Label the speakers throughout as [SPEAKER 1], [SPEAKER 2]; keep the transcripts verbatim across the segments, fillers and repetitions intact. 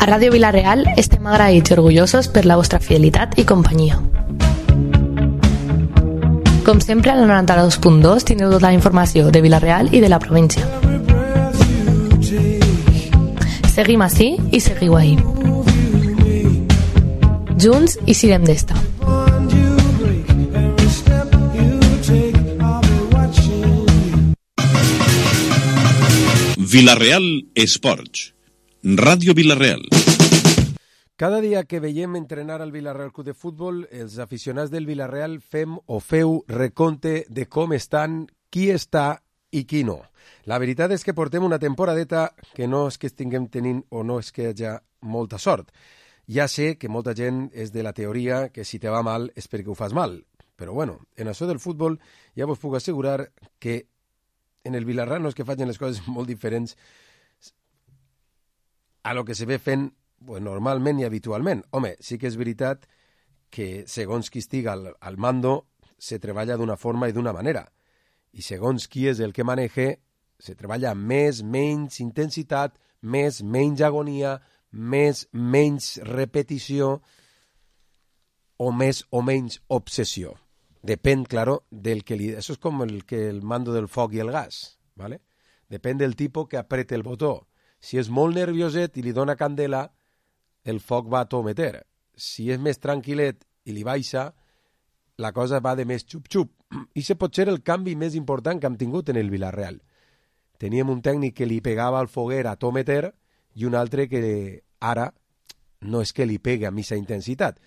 [SPEAKER 1] A Ràdio Vila-real estem agraïts i orgullosos per la vostra fidelitat i companyia. Com sempre, al noranta-dos punt dos teniu tota la informació de Vila-real i de la província. Seguim ací i seguiu ahí. Junts i sirem d'esta.
[SPEAKER 2] Vila-real Esports. Ràdio Vila-real.
[SPEAKER 3] Cada dia que veiem entrenar al Vila-real Club de Futbol, els aficionats del Vila-real fem o feu recompte de com estan, qui està i qui no. La veritat és que portem una temporadeta que no és que estiguem tenint o no és que hi hagi molta sort. Ja sé que molta gent és de la teoria que si te va mal és perquè ho fas mal. Però bueno, en això del futbol ja vos puc assegurar que en el Vila-real no és que facin les coses molt diferents a lo que se ve fent pues, normalment i habitualment. Home, sí que és veritat que segons qui estiga al, al mando se treballa d'una forma i d'una manera. I segons qui és el que maneja, se treballa amb més, menys intensitat, més, menys agonia, més, menys repetició o més o menys obsessió. Depèn, claro, del que li... Això és com el, que el mando del foc i el gas, ¿vale? Depèn del tipus que aprete el botó. Si és molt nervioset i li dona candela, el foc va a tot meter. Si és més tranquil·let i li baixa, la cosa va de més xup-xup. I se pot ser el canvi més important que hem tingut en el Vila-real. Teníem un tècnic que li pegava al foguer a tot meter i un altre que ara no és que li pegue a missa intensitat.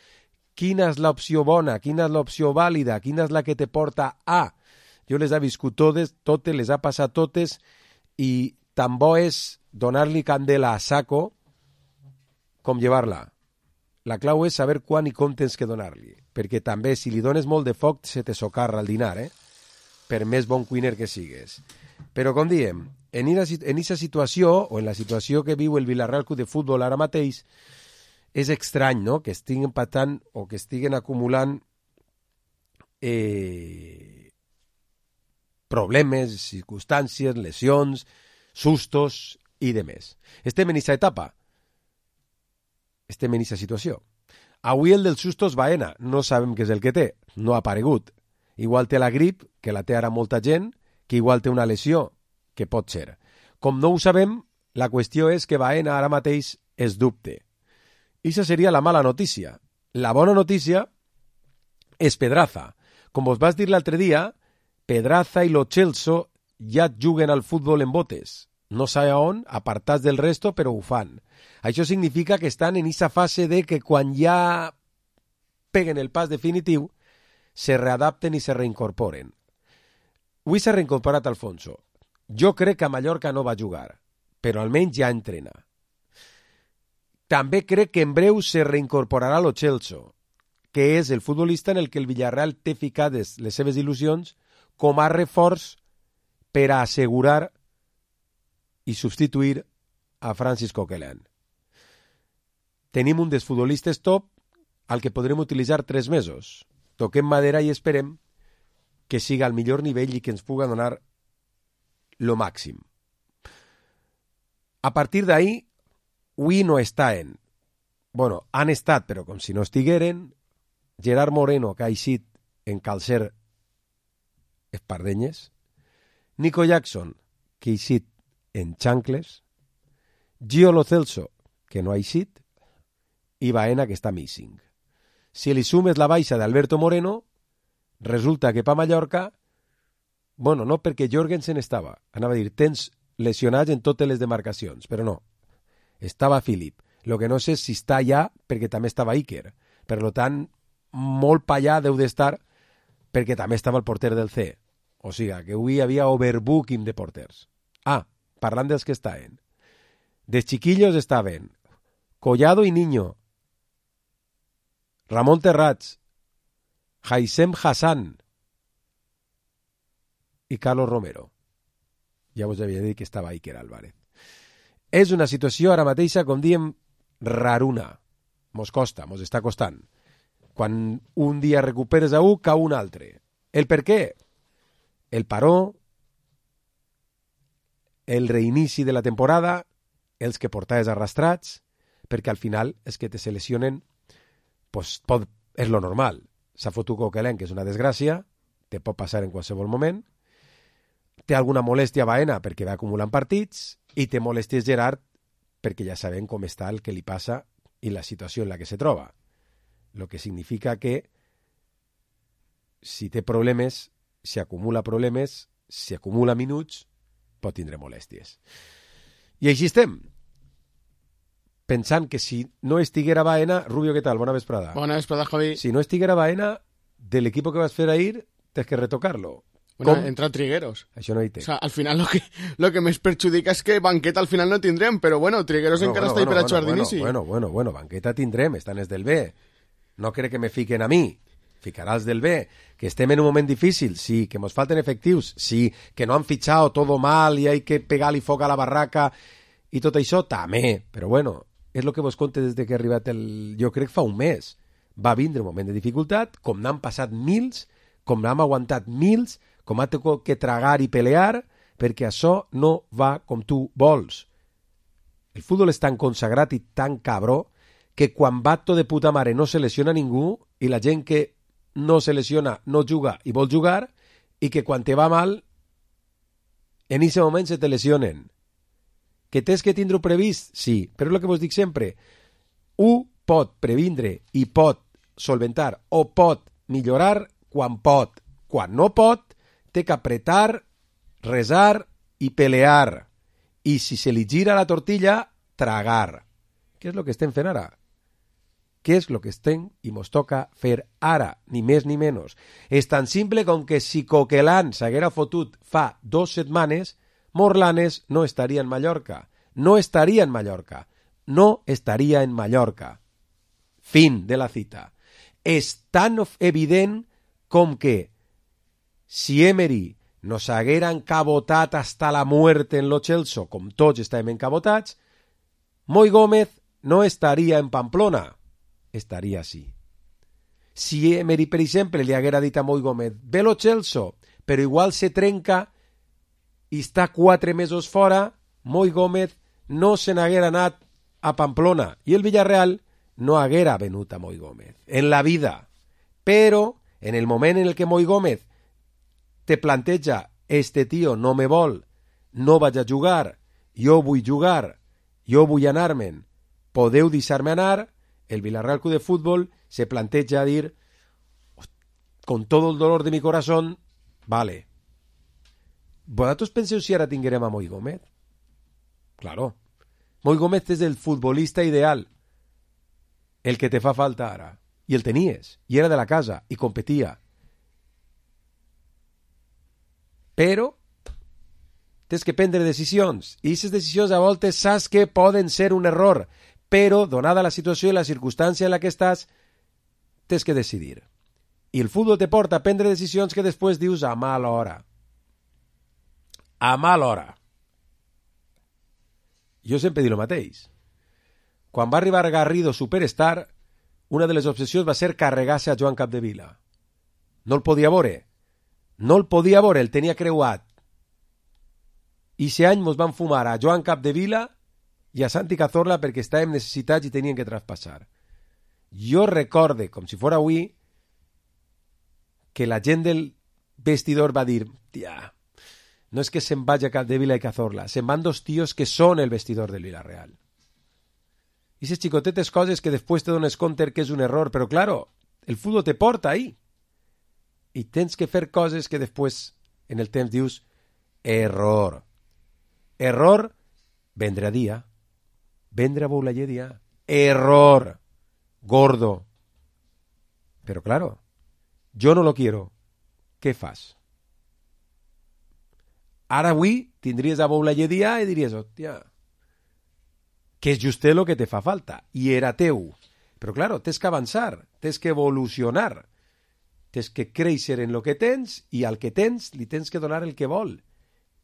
[SPEAKER 3] Quina és l'opció bona? Quina és l'opció vàlida? Quina és la que te porta a? Jo les he viscut totes, totes, les ha passat totes i tan bo és donar-li candela a saco com llevar-la. La clau és saber quan i com tens que donar-li, perquè també si li dones molt de foc se te socarra el dinar, eh? Per més bon cuiner que sigues. Però com diem, en aquesta situació, o en la situació que viu el Vila-real Club de Futbol ara mateix, és estrany, no?, que estiguin patant o que estiguen acumulant eh, problemes, circumstàncies, lesions, sustos i de més. Estem en aquesta etapa. Estem en aquesta situació. Avui el dels sustos Baena, no sabem què és el que té, no ha aparegut. Igual té la grip, que la té ara molta gent, que igual té una lesió, que pot ser. Com no ho sabem, la qüestió és que Baena ara mateix es dubte. I això seria la mala notícia. La bona notícia és Pedraza. Com vos vas dir l'altre dia, Pedraza i lo Celso ja juguen al futbol en botes. No sé on, apartats del resto, però ho fan. Això significa que estan en aquesta fase de que quan ja peguen el pas definitiu, se readapten i se reincorporen. Avui s'ha reincorporat Alfonso. Jo crec que a Mallorca no va jugar, però almenys ja entrena. També crec que en breu se reincorporarà lo Celso, que és el futbolista en el que el Villarreal té ficades les seves il·lusions com a reforç per a assegurar i substituir a Francis Coquelin. Tenim un dels futbolistes top al que podrem utilitzar tres mesos. Toquem madera i esperem que siga al millor nivell i que ens puga donar lo màxim. A partir d'ahí, avui no estan. Bueno, han estat, però com si no estigueren, Gerard Moreno, que ha eixit en calcer espardenyes, Nico Jackson, que ha eixit en xancles, Gio Lo Celso, que no ha eixit, i Baena, que està missing. Si li sumes la baixa d'Alberto Moreno, resulta que pa Mallorca, bueno, no perquè Jorgensen estava, anava a dir, tens lesionats en totes les demarcacions, però no, estava Philip. Lo que no sé si està allà perquè també estava Iker. Per tant, molt pa allà deu d'estar perquè també estava el porter del C. O sigui, que avui hi havia overbooking de porters. Ah, parlant dels que estaven. Dels chiquillos estaven Collado i Niño, Ramon Terrats, Haissem Hassan i Carlos Romero. Ja us havia dit que estava Iker Álvarez. És una situació ara mateixa, com diem, raruna. Mos costa, mos està costant. Quan un dia recuperes a un, cau un altre. El per què? El paró, el reinici de la temporada, els que portaves arrastrats, perquè al final és que te se lesionen, pues, pot, és lo normal. S'ha fotut Coquelin, que és una desgràcia, te pot passar en qualsevol moment, té alguna molèstia a Baena perquè va acumulant partits, i té molèsties Gerard perquè ja sabem com està el que li passa i la situació en la que se troba. Lo que significa que si té problemes, si acumula problemes, si acumula minuts, pot tindre molèsties. I així estem. Pensant que si no estiguera Baena... Rubio, què tal? Bona vesprada.
[SPEAKER 4] Bona vesprada, Javi.
[SPEAKER 3] Si no estiguera Baena, del equipo que vas a fer ahir, tens que retocarlo.
[SPEAKER 4] Bueno,
[SPEAKER 3] Com?
[SPEAKER 4] entra Trigueros.
[SPEAKER 3] Això no hi té.
[SPEAKER 4] O sea, al final lo que, lo que més perjudica és que banqueta al final no tindrem, però bueno, Trigueros
[SPEAKER 3] no,
[SPEAKER 4] encara
[SPEAKER 3] bueno,
[SPEAKER 4] està ahí
[SPEAKER 3] bueno,
[SPEAKER 4] per a
[SPEAKER 3] bueno,
[SPEAKER 4] jugar
[SPEAKER 3] bueno,
[SPEAKER 4] d'inici.
[SPEAKER 3] Bueno, bueno, bueno, banqueta tindrem, estan els del B. No crec que me fiquen a mi. Ficaràs del B. Que estem en un moment difícil, sí. Que mos falten efectius, sí. Que no han fichado todo mal i hay que pegar-li foc a la barraca i tot això, també. Però bueno, és el que vos conte des de que ha arribat el... Jo crec fa un mes. Va vindre un moment de dificultat, com n'han passat mils, com n'hem aguantat mils, com ha tingut que tragar i pelear, perquè això no va com tu vols. El futbol és tan consagrat i tan cabró que quan va tot de puta mare no se lesiona ningú i la gent que no se lesiona no juga i vol jugar i que quan te va mal en aquest moment se te lesionen. Que tens que tindre-ho previst? Sí, però és el que vos dic sempre. Un pot previndre i pot solventar o pot millorar quan pot. Quan no pot, té que apretar, resar i pelear. I si se li gira la tortilla, tragar. Què és el que estem fent ara? Què és el que estem i mos toca fer ara, ni més ni menys? És tan simple com que si Coquelin s'haguera fotut fa dos setmanes, Morlanes no estaria en Mallorca. No estaria en Mallorca. No estaria en Mallorca. Fin de la cita. És tan evident com que si Emery nos haguera encabotat hasta la muerte en lo Chelsea, com tots estàvem encabotats, Moi Gómez no estaria en Pamplona. Estaria així. Si Emery, per exemple, li haguera dit a Moi Gómez, ve lo Chelsea, però igual se trenca i està quatre mesos fora, Moi Gómez no se n'haguera anat a Pamplona i el Villarreal no haguera venut a Moi Gómez en la vida. Però en el moment en el que Moi Gómez te planteja este tio no me vol, no vaig a jugar, jo vull jugar, jo vull anar-me'n, podeu deixar-me anar, el Villarreal Club de Fútbol se planteja dir con todo el dolor de mi corazón, vale. ¿Vosotros penseu si ara tinguérem a Moi Gómez? Claro. Moi Gómez és el futbolista ideal, el que te fa falta ara. I el tenies, i era de la casa, i competia. Però tens que prendre decisions, i aquestes decisions a voltes saps que poden ser un error, però, donada la situació i la circumstància en la que estàs, tens que decidir. I el futbol te porta a prendre decisions que després dius a mala hora. A mala hora. Jo sempre dic el mateix. Quan va arribar Garrido Superstar, una de les obsessions va ser carregar-se a Joan Capdevila. No el podia veure. No el podia veure, el tenia creuat. I aquest any mos van fumar a Joan Capdevila i a Santi Cazorla perquè estàvem necessitats i tenien que traspassar. Jo recorde, com si fos avui, que la gent del vestidor va dir, tia, no és que se'n vagi a Capdevila i Cazorla, se'n van dos tios que són el vestidor del Villarreal. I aquestes xicotetes coses que després te dones compte que és un error, però claro, el futbol te porta ahí. I tens que fer coses que després, en el temps, dius, error. Error, vendre a dia. Vendre a Boulaye dia. Error. Gordo. Pero claro, yo no lo quiero. ¿Qué fas? Ara avui tindries a Boulaye dia i diries, hòstia, que és just el que te fa falta. I era teu. Però claro, tens que avançar, tens que evolucionar. Tens que créixer en lo que tens i al que tens li tens que donar el que vol.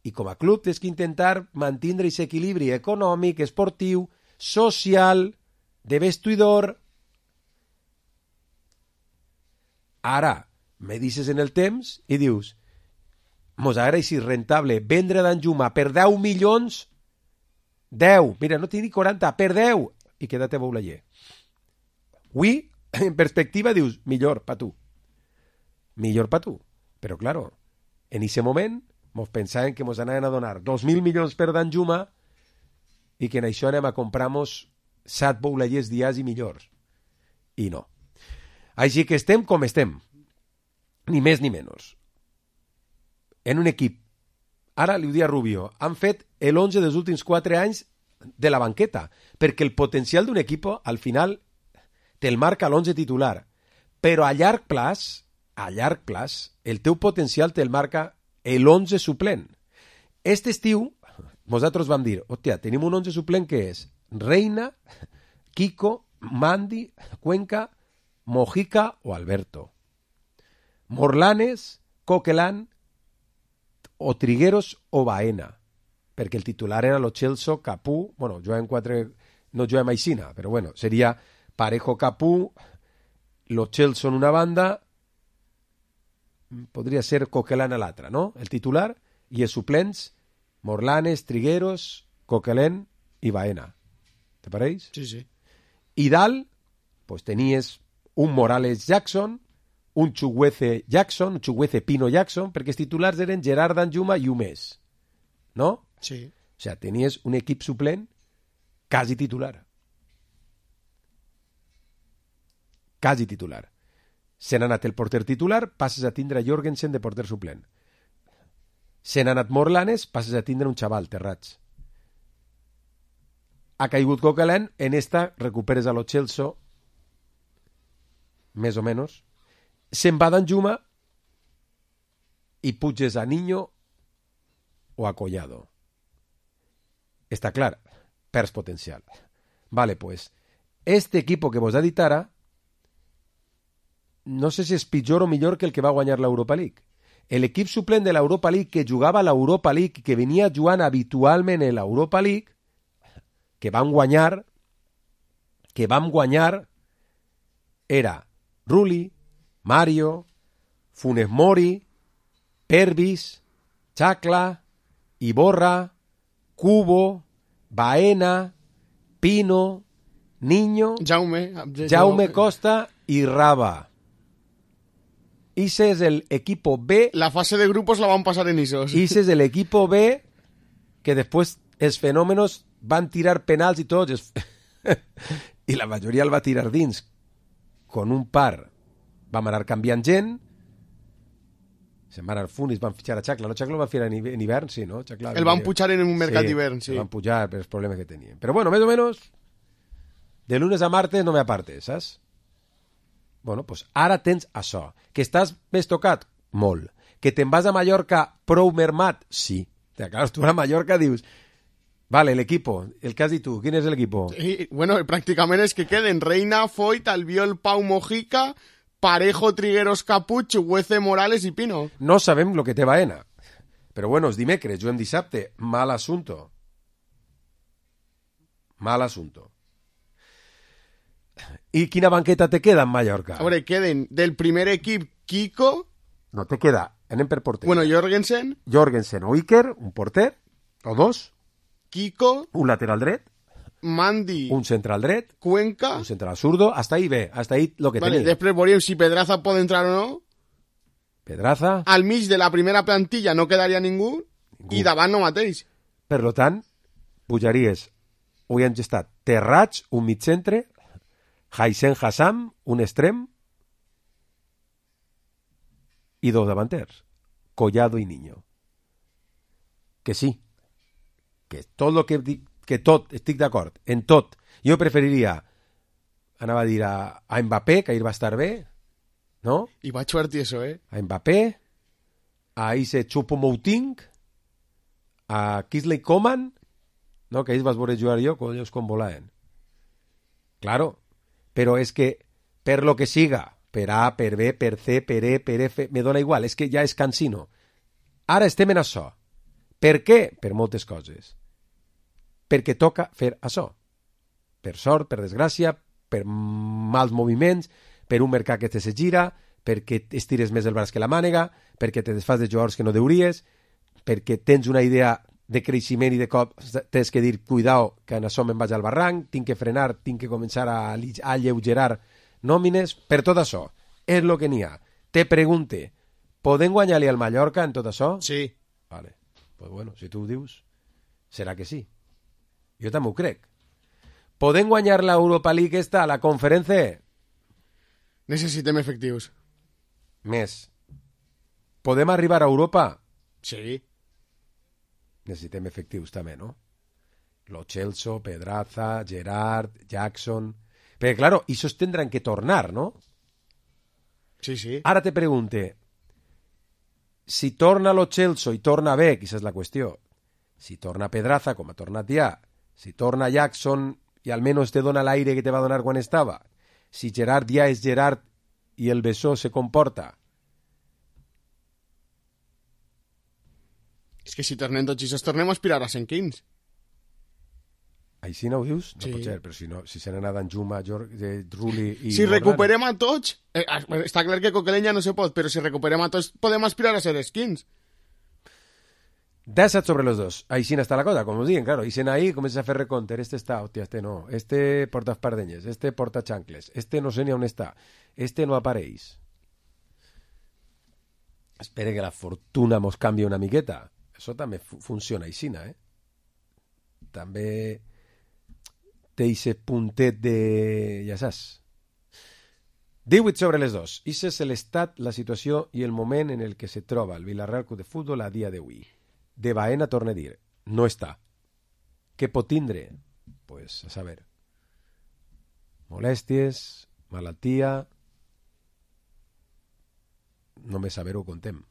[SPEAKER 3] I com a club tens que intentar mantindre aquest equilibri econòmic, esportiu, social, de vestidor. Ara, me dices en el temps i dius, mos agrada si rentable vendre d'Anjuma per deu milions, deu, mira, no tinc ni quaranta, per deu, i quédate a Boulaye. Avui, en perspectiva, dius, millor pa tu. Millor pa tu. Però, claro, en ese moment mos pensaven que mos anaven a donar dos mil milions per Danjuma i que en això anem a comprar-nos set Boulayers dies i millors. I no. Així que estem com estem. Ni més ni menys. En un equip. Ara li ho dia Rubio. Han fet l'onze dels últims quatre anys de la banqueta, perquè el potencial d'un equip al final te'l marca l'onze titular. Però a llarg plaç, a llarg plaç, el teu potencial te'l marca l'onze suplent. Este estiu, nosaltres vam dir, hòstia, tenim un onze suplent que és Reina, Kiko, Mandi, Cuenca, Mojica o Alberto. Morlanes, Coquelin o Trigueros o Baena, perquè el titular era lo Celso, Capú, bueno, juegan quatre, no juegan Maicina, però bueno, seria Parejo, Capú, lo Celso en una banda, podria ser Coquelin a l'altra, no? El titular, i els suplents, Morlanes, Trigueros, Coquelin i Baena. Te pareix?
[SPEAKER 4] Sí, sí.
[SPEAKER 3] I dalt, pues tenies un Morales Jackson, un Chuguece Jackson, un Chuguece Pino Jackson, perquè els titulars eren Gerard Danjuma i un més. No?
[SPEAKER 4] Sí.
[SPEAKER 3] O sea, tenies un equip suplent quasi titular. Quasi titular. Se n'ha anat el porter titular, passes a tindre Jorgensen de porter suplent. Se n'ha anat Morlanes, passes a tindre un xaval, Terrats. Ha caigut Coquelin, en esta recuperes a lo Celso, més o menys. Se'n va Danjuma i puges a Niño o a Collado. Està clar, perds potencial. Vale, pues, este equipo que vos ha dit ara, no sé si és pitjor o millor que el que va guanyar l'Europa League. L'equip suplent de l'Europa League que jugava a l'Europa League, que venia jugant habitualment en l'Europa League, que vam guanyar, que vam guanyar, era Rulli, Mario, Funes Mori, Pervis, Chacla, Iborra, Cubo, Baena, Pino, Niño,
[SPEAKER 4] Jaume,
[SPEAKER 3] Jaume Costa y Raba. Ese es el equipo B.
[SPEAKER 4] La fase de grupos la van a pasar en Isos.
[SPEAKER 3] Ese es el equipo B que después els fenòmenos van tirar penals i tots. I la majoria el va tirar dins. Con un par vam anar canviant gent. Se'n van anar Funis, van fitxar a Chacla. No, Chacla el va fer en hivern, sí, no? Chacla,
[SPEAKER 4] el van pujar en un mercat d'hivern, sí.
[SPEAKER 3] El van pujar per els problemes que tenien. Però bueno, més o menys, de lunes a martes no me apartes, saps? Bueno, pues ara tens això. Que estàs més tocat? Molt. Que te'n vas a Mallorca prou mermat? Sí. Te acabes tu a Mallorca, dius... Vale, el equipo. El que has dit tu. ¿Quién es el equipo?
[SPEAKER 4] Y, bueno, prácticamente es que queden Reina, Foyt, Albiol, Pau, Mojica, Parejo, Trigueros, Capuch, Huece, Morales y Pino.
[SPEAKER 3] No sabem lo que té Baena. Però bueno, és dimecres, juguem dissabte. Mal assunto. Mal assunto. ¿Y quina banqueta te queda en Mallorca?
[SPEAKER 4] A veure, queden del primer equip Kiko...
[SPEAKER 3] No, te queda, anem per porter.
[SPEAKER 4] Bueno, Jorgensen.
[SPEAKER 3] Jorgensen o Iker, un porter, o dos.
[SPEAKER 4] Kiko.
[SPEAKER 3] Un lateral dret.
[SPEAKER 4] Mandi.
[SPEAKER 3] Un central dret.
[SPEAKER 4] Cuenca.
[SPEAKER 3] Un central zurdo. Hasta ahí ve, hasta ahí lo que
[SPEAKER 4] vale,
[SPEAKER 3] tenéis.
[SPEAKER 4] Després veurem si Pedraza pot entrar o no.
[SPEAKER 3] Pedraza.
[SPEAKER 4] Al mig de la primera plantilla no quedaria ningú. ningú. I davant no mateix.
[SPEAKER 3] Per lo tant, pujaries, avui han estat Terrats, un mig centre, Haisen Hassam, un extrem, i dos davanters, Collado i Niño. Que sí, que tot lo que dic, que tot, estic d'acord, en tot. Jo preferiria, anava a dir a, a Mbappé, que ahir va estar bé, no?
[SPEAKER 4] I va xuert i eso, eh?
[SPEAKER 3] A Mbappé, a ese Choupo-Moting, a Kingsley Coman, no? Que ahir vas veure jugar jo, quan ells com volaven. Claro, però és que per lo que siga, per A, per B, per C, per E, per F, me dona igual, és que ja és cansino. Ara estem en això. Per què? Per moltes coses. Perquè toca fer això. Per sort, per desgràcia, per mals moviments, per un mercat que te se gira, perquè estires més el braç que la mànega, perquè te desfas de jugadors que no deuries, perquè tens una idea de creixement i de cop tens que dir, cuidao, que en això me'n vaig al barranc, tinc que frenar, tinc que començar a, a lleugerar nòmines, per tot això. És el que n'hi ha. Te pregunte, podem guanyar-li al Mallorca en tot això?
[SPEAKER 4] Sí.
[SPEAKER 3] Vale. Pues bueno, si tu ho dius, serà que sí. Jo també ho crec. Podem guanyar l'Europa League esta, la conferència?
[SPEAKER 4] Necessitem efectius.
[SPEAKER 3] Més. Podem arribar a Europa?
[SPEAKER 4] Sí.
[SPEAKER 3] Necessitem efectius també, no? Lo Celso, Pedraza, Gerard, Jackson... Perquè, claro, esos tendrán que tornar, ¿no?
[SPEAKER 4] Sí, sí.
[SPEAKER 3] Ara te pregunte, si torna lo Celso i torna bé, que esa és la qüestió, si torna Pedraza, com ha tornat ja, si torna Jackson i almenys te dona l'aire que te va donar quan estava, si Gerard ja és Gerard i el Bessó se comporta...
[SPEAKER 4] És que si tornem tots i tornem a aspirar a cent quinze.
[SPEAKER 3] Així no ho dius? No
[SPEAKER 4] sí.
[SPEAKER 3] pot ser, però si, no, si se n'ha anat Juma, Jorge, Rulli i...
[SPEAKER 4] Si recuperem a tots... Eh, està clar que Coquelenya no se pot, però si recuperem a tots podem aspirar a ser skins.
[SPEAKER 3] disset sobre los dos. Així està la cosa, com us diuen, claro. I sen ahí comença a fer recompte. Este està, hòstia, este no. Este porta espardenyes, este porta xancles, este no sé ni on està, este no apareix. Espere que la fortuna mos canvi una miqueta. Això també fu funciona així, eh? També té ese puntet de... ja saps. divuit sobre les dos. Ese és l'estat, la situació i el moment en el que se troba el Villarreal Club de Futbol a dia d'avui. De Baena torna a dir, no està. Què pot tindre? Pues, a saber, molèsties, malaltia... Només saber-ho contem.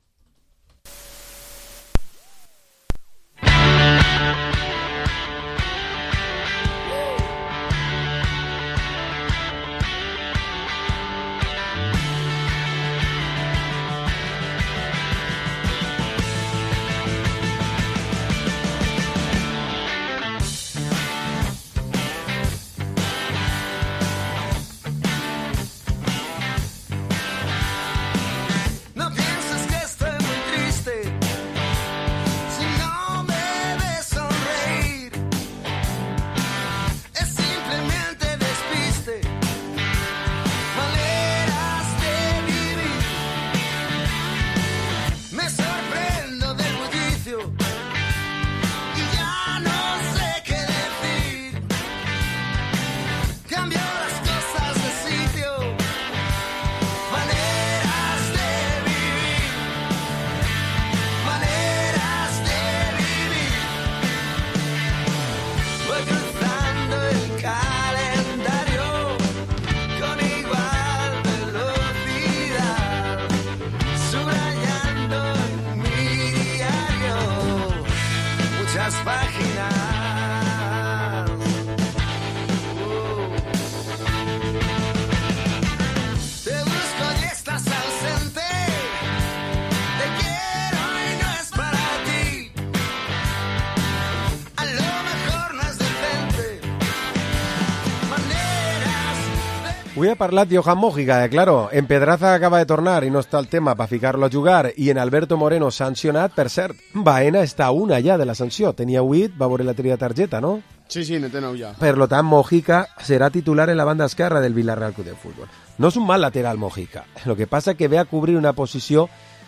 [SPEAKER 3] Avui ha parlat Johan Mojica, eh, claro, en Pedraza acaba de tornar i no està el tema per ficar-lo a jugar, i en Alberto Moreno sancionat, per cert, Baena està a una ja de la sanció, tenia huit, va veure la tria targeta, no?
[SPEAKER 4] Sí, sí, ne té nou ja.
[SPEAKER 3] Per lo tant, Mojica serà titular en la banda esquerra del Villarreal Club de Futbol. No és un mal lateral, Mojica, lo que passa que ve a cobrir una posició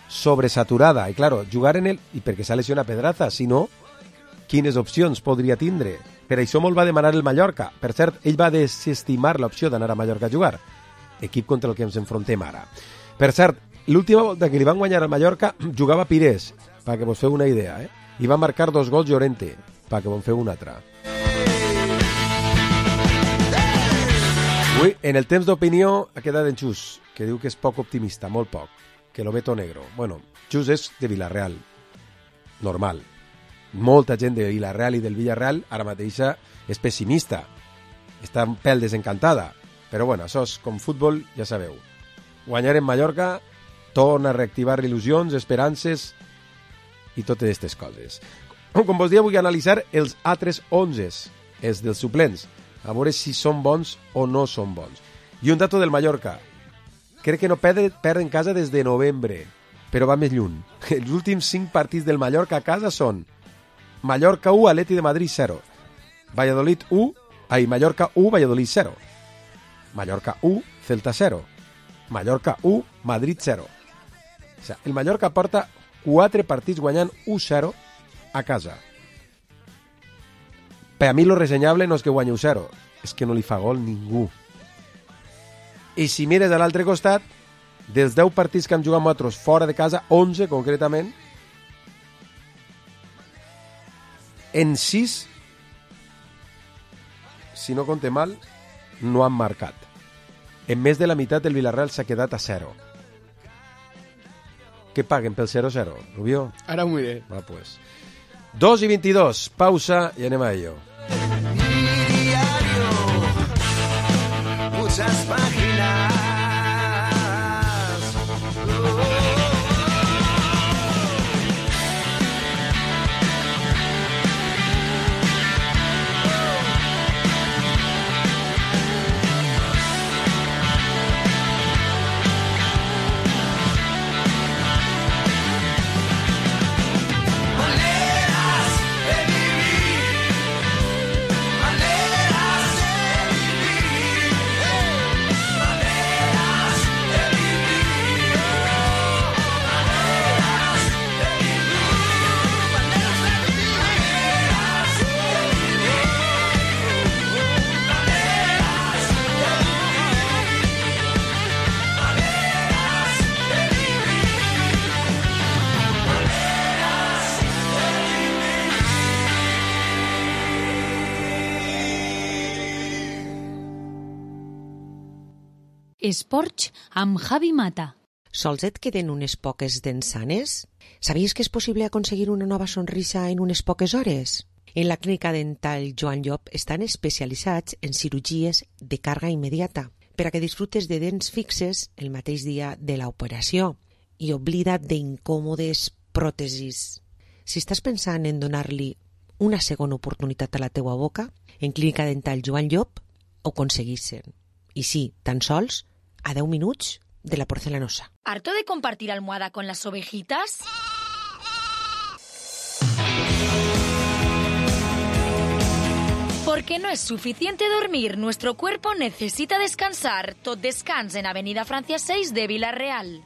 [SPEAKER 3] sobresaturada, i claro, jugar en el... i perquè s'ha lesionat Pedraza, si no, quines opcions podria tindre? Per això molt va demanar el Mallorca. Per cert, ell va desestimar l'opció d'anar a Mallorca a jugar. Equip contra el que ens enfrontem ara. Per cert, l'última volta que li van guanyar al Mallorca jugava Pires, perquè vos feu una idea, eh? I va marcar dos gols Llorente, perquè vos feu una altra. Ui, en el temps d'opinió ha quedat en Xus, que diu que és poc optimista, molt poc, que lo veto negro. Bueno, Xus és de Villarreal, normal. Molta gent de Villarreal i del Villarreal ara mateixa és pessimista, està un pèl desencantada, però bueno, això és com futbol, ja sabeu. Guanyar en Mallorca torna a reactivar il·lusions, esperances i totes aquestes coses. Com vos dia, vull analitzar els altres onzes, els dels suplents, a veure si són bons o no són bons. I un dato del Mallorca, crec que no perd, perd en casa des de novembre, però va més lluny. Els últims cinc partits del Mallorca a casa són Mallorca u, Atleti de Madrid cero. Valladolid u, ay, Mallorca u, Valladolid cero. Mallorca u, Celta cero. Mallorca u, Madrid cero. O sigui, el Mallorca porta quatre partits guanyant u zero a casa. Per a mi lo resenyable no és que guanyi u zero, és que no li fa gol ningú. I si mires a l'altre costat, dels deu partits que hem jugat nosaltres fora de casa, onze concretament, en sis, si no compte mal, no han marcat. En més de la meitat el Villarreal s'ha quedat a zero. Què paguen pel zero zero, Rubio?
[SPEAKER 4] Ara ho miré.
[SPEAKER 3] Va, pues. dos i veintidós, pausa i anem a ello.
[SPEAKER 5] Mi diario, muchas páginas.
[SPEAKER 6] Esports amb Javi Mata.
[SPEAKER 7] Sols et queden unes poques dents sanes? Sabies que és possible aconseguir una nova sonrisa en unes poques hores? En la clínica dental Joan Llop estan especialitzats en cirurgies de càrrega immediata per a que disfrutes de dents fixes el mateix dia de l'operació i oblida't d'incòmodes pròtesis. Si estàs pensant en donar-li una segona oportunitat a la teua boca, en clínica dental Joan Llop ho aconseguissin. I sí, tan sols a deu minuts de la porcelanosa.
[SPEAKER 6] ¿Harto de compartir almohada con las ovejitas? Porque no es suficiente dormir, nuestro cuerpo necesita descansar. Tot Descans en Avenida Francia seis de Villarreal.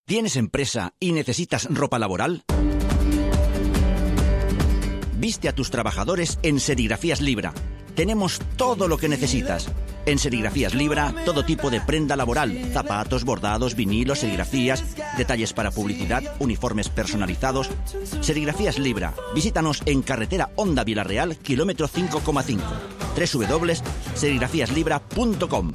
[SPEAKER 8] ¿Tienes empresa y necesitas ropa laboral? Viste a tus trabajadores en Serigrafías Libra. Tenemos todo lo que necesitas. En Serigrafías Libra, todo tipo de prenda laboral, zapatos, bordados, vinilos, serigrafías, detalles para publicidad, uniformes personalizados. Serigrafías Libra. Visítanos en carretera Honda Villarreal, kilómetro cinco coma cinco. doble u doble u doble u punto serigrafías libra punto com.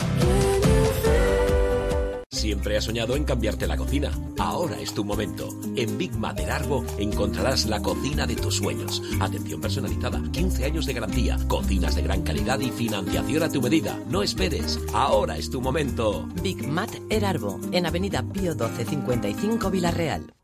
[SPEAKER 9] Siempre has soñado en cambiarte la cocina. Ahora es tu momento. En Big Mat Erarbo encontrarás la cocina de tus sueños. Atención personalizada, quince años de garantía, cocinas de gran calidad y financiación a tu medida. No esperes. Ahora es tu momento.
[SPEAKER 10] Big Mat Erarbo, en Avenida Pío doce cincuenta y cinco Villarreal.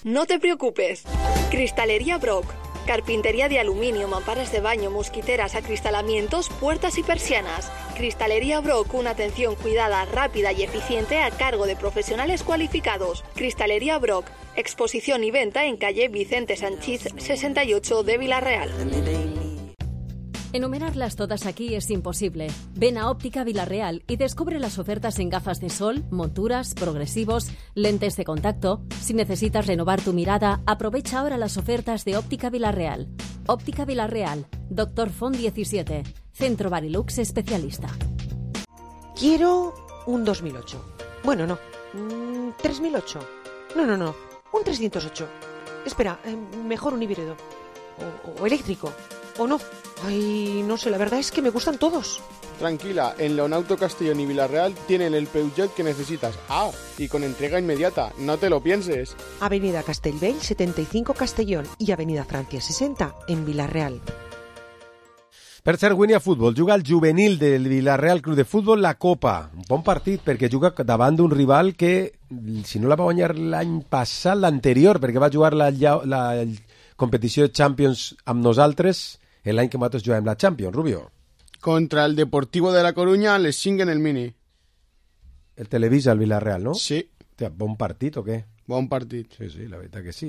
[SPEAKER 11] No te preocupes. Cristalería Brock. Carpintería de aluminio, mamparas de baño, mosquiteras, acristalamientos, puertas y persianas. Cristalería Brock, una atención cuidada, rápida y eficiente a cargo de profesionales cualificados. Cristalería Brock, exposición y venta en calle Vicente Sanchís sesenta y ocho de Villarreal.
[SPEAKER 12] Enumerarlas todas aquí es imposible. Ven a Óptica Villarreal y descubre las ofertas en gafas de sol, monturas, progresivos, lentes de contacto. Si necesitas renovar tu mirada, aprovecha ahora las ofertas de Óptica Villarreal. Óptica Villarreal, Doctor Font diecisiete, Centro Barilux especialista.
[SPEAKER 7] Quiero un dos mil ocho. Bueno, no. Mm, tres mil ocho. No, no, no. Un trescientos ocho. Espera, eh, mejor un híbrido. O, o eléctrico. ¿O no? Ay, no sé, la verdad es que me gustan todos.
[SPEAKER 4] Tranquila, en Leonauto Castellón y Villarreal tienen el Peugeot que necesitas. Ah, y con entrega inmediata, no te lo pienses.
[SPEAKER 7] Avenida Castellbell setenta y cinco Castellón y Avenida Francia sesenta en Villarreal.
[SPEAKER 3] Per cert, Winnie a futbol, juga el juvenil del Villarreal Club de Futbol la Copa. Un bon partit perquè juga davant d'un rival que, si no la va guanyar l'any passat, l'anterior, perquè va jugar la, la, la competició de Champions amb nosaltres l'any que nosaltres juguem la Champions, Rubio.
[SPEAKER 4] Contra el Deportivo de la Coruña les chinguen el Mini.
[SPEAKER 3] El Televisa, el Villarreal, ¿no?
[SPEAKER 4] Sí.
[SPEAKER 3] Hòstia, bon partit o què?
[SPEAKER 4] Bon partit.
[SPEAKER 3] Sí, sí, la veritat que sí.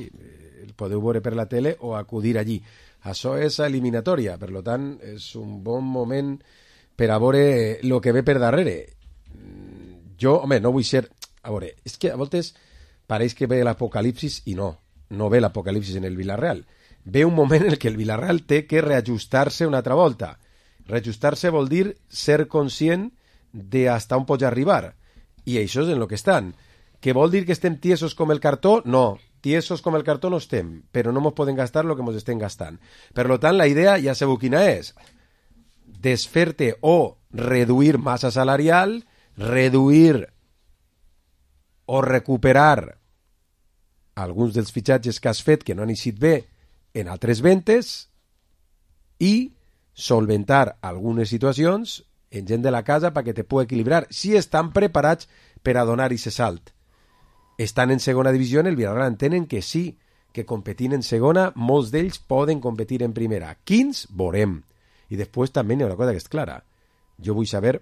[SPEAKER 3] El podeu veure per la tele o acudir allí. Això és eliminatòria, per tant, és un bon moment per a veure el que ve per darrere. Jo, home, no vull ser... A veure, és que a voltes pareix que ve l'apocalipsis i no, no ve l'apocalipsis en el Villarreal. Ve un moment en què el Villarreal té que reajustar-se una altra volta. Reajustar-se vol dir ser conscient de hasta on pots arribar. I això és en el que estan. Que vol dir que estem tiesos com el cartó? No, tiesos com el cartó no estem, però no ens podem gastar el que ens estem gastant. Per tant, la idea ja sabeu quina és. Desfer-te o reduir massa salarial, reduir o recuperar alguns dels fitxatges que has fet que no han eixit bé en altres ventes i solventar algunes situacions en gent de la casa perquè te pugui equilibrar si estan preparats per a donar aquest salt. Estan en segona divisió, en el Villarreal entenen que sí, que competint en segona, molts d'ells poden competir en primera. Quins? Veurem. I després també hi ha una cosa que és clara. Jo vull saber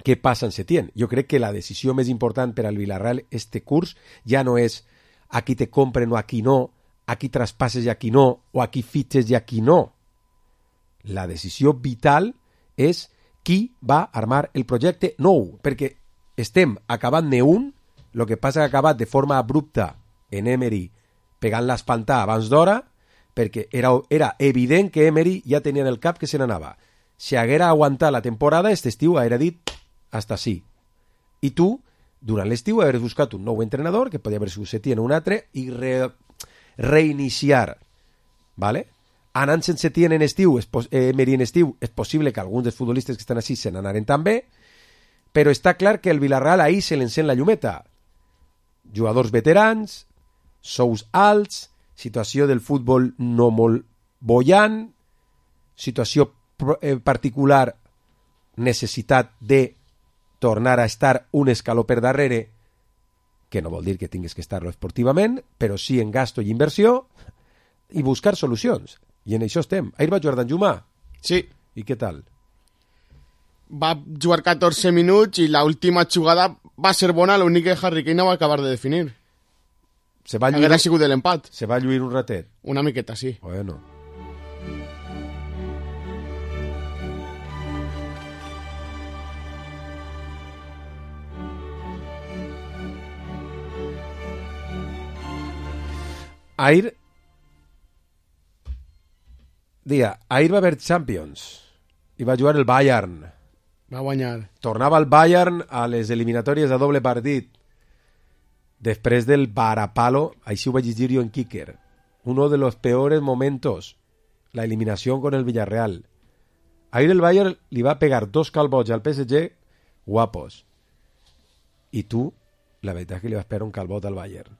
[SPEAKER 3] què passa en Setién. Jo crec que la decisió més important per al Villarreal este curs ja no és aquí te compren o aquí no, aquí traspasses i aquí no, o aquí fitxes i aquí no. La decisió vital és qui va armar el projecte nou, perquè estem acabant-ne un. El que passa que ha acabat de forma abrupta en Emery pegant l'espantà abans d'hora, perquè era, era evident que Emery ja tenia en el cap que se n'anava. Si haguera aguantat la temporada, este estiu haguera dit hasta sí. I tu, durant l'estiu, hauries buscat un nou entrenador, que podia haver sigut Setién o un altre, i re, reiniciar. ¿Vale? Anant sense Setién en estiu, eh, Emery en estiu, és possible que alguns dels futbolistes que estan així se n'anaren també, però està clar que el Villarreal ahir se l'encén la llumeta. Jugadors veterans, sous alts, situació del futbol no molt bollant, situació eh, particular, necessitat de tornar a estar un escaló per darrere, que no vol dir que tinguis que estar-lo esportivament, però sí en gasto i inversió, i buscar solucions. I en això estem. Ahir va jugar Danjuma?
[SPEAKER 4] Sí.
[SPEAKER 3] I què tal?
[SPEAKER 4] Va jugar catorze minuts i l'última jugada va ser bona, l'únic que Harry Kane no va acabar de definir.
[SPEAKER 3] Se va lluir...
[SPEAKER 4] Hauria sigut l'empat.
[SPEAKER 3] Se va lluir un ratet.
[SPEAKER 4] Una miqueta, sí.
[SPEAKER 3] Bueno. Ahir... Dia, ahir va haver Champions i va jugar el Bayern.
[SPEAKER 4] Va guanyar.
[SPEAKER 3] Tornava el Bayern a les eliminatòries a doble partit. Després del varapalo, així ho vaig llegir jo en Kicker. Uno de los peores momentos. La eliminación con el Villarreal. Ahir el Bayern li va pegar dos calbots al P S G guapos. I tu, la veritat és que li vas pegar un calbot al Bayern.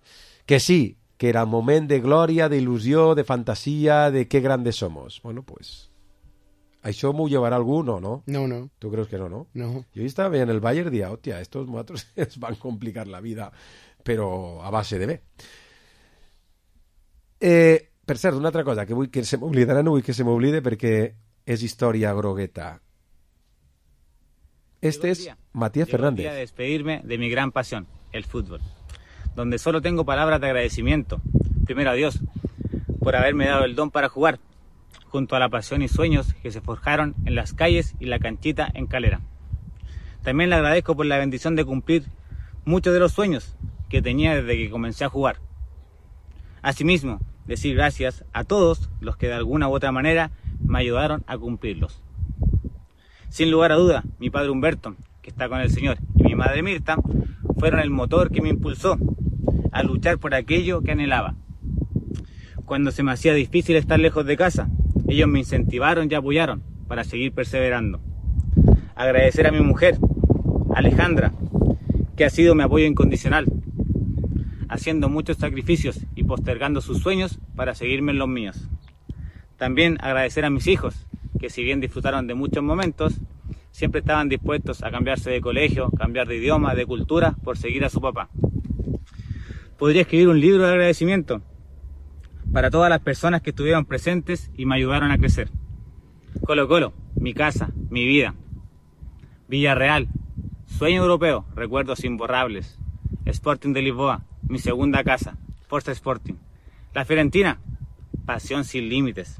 [SPEAKER 3] Que sí, que era un moment de glòria, d'il·lusió, de fantasia, de qué grandes somos. Bueno, pues... ¿Això m'ho llevarà algú? No, no.
[SPEAKER 4] No, no.
[SPEAKER 3] ¿Tú crees que no, no?
[SPEAKER 4] No.
[SPEAKER 3] Yo estaba veient el Bayern y decía, hostia, estos muatros es van complicar la vida, però a base de bé. Eh, per cert, una altra cosa, que vull que se m'oblidarà, no vull que se m'oblide perquè és història grogueta. Este es Matías Fernández.
[SPEAKER 13] Llegó el día de despedirme de mi gran pasión, el fútbol, donde solo tengo palabras de agradecimiento. Primero a Dios, por haberme dado el don para jugar, junto a la pasión y sueños que se forjaron en las calles y la canchita en Calera. También le agradezco por la bendición de cumplir muchos de los sueños que tenía desde que comencé a jugar. Asimismo, decir gracias a todos los que de alguna u otra manera me ayudaron a cumplirlos. Sin lugar a duda, mi padre Humberto, que está con el Señor, y mi madre Mirta, fueron el motor que me impulsó a luchar por aquello que anhelaba. Cuando se me hacía difícil estar lejos de casa, ellos me incentivaron y apoyaron para seguir perseverando. Agradecer a mi mujer, Alejandra, que ha sido mi apoyo incondicional, haciendo muchos sacrificios y postergando sus sueños para seguirme en los míos. También agradecer a mis hijos, que si bien disfrutaron de muchos momentos, siempre estaban dispuestos a cambiarse de colegio, cambiar de idioma, de cultura, por seguir a su papá. Podría escribir un libro de agradecimiento para todas las personas que estuvieron presentes y me ayudaron a crecer. Colo Colo, mi casa, mi vida. Villarreal, sueño europeo, recuerdos imborrables. Sporting de Lisboa, mi segunda casa, Forza Sporting. La Fiorentina, pasión sin límites.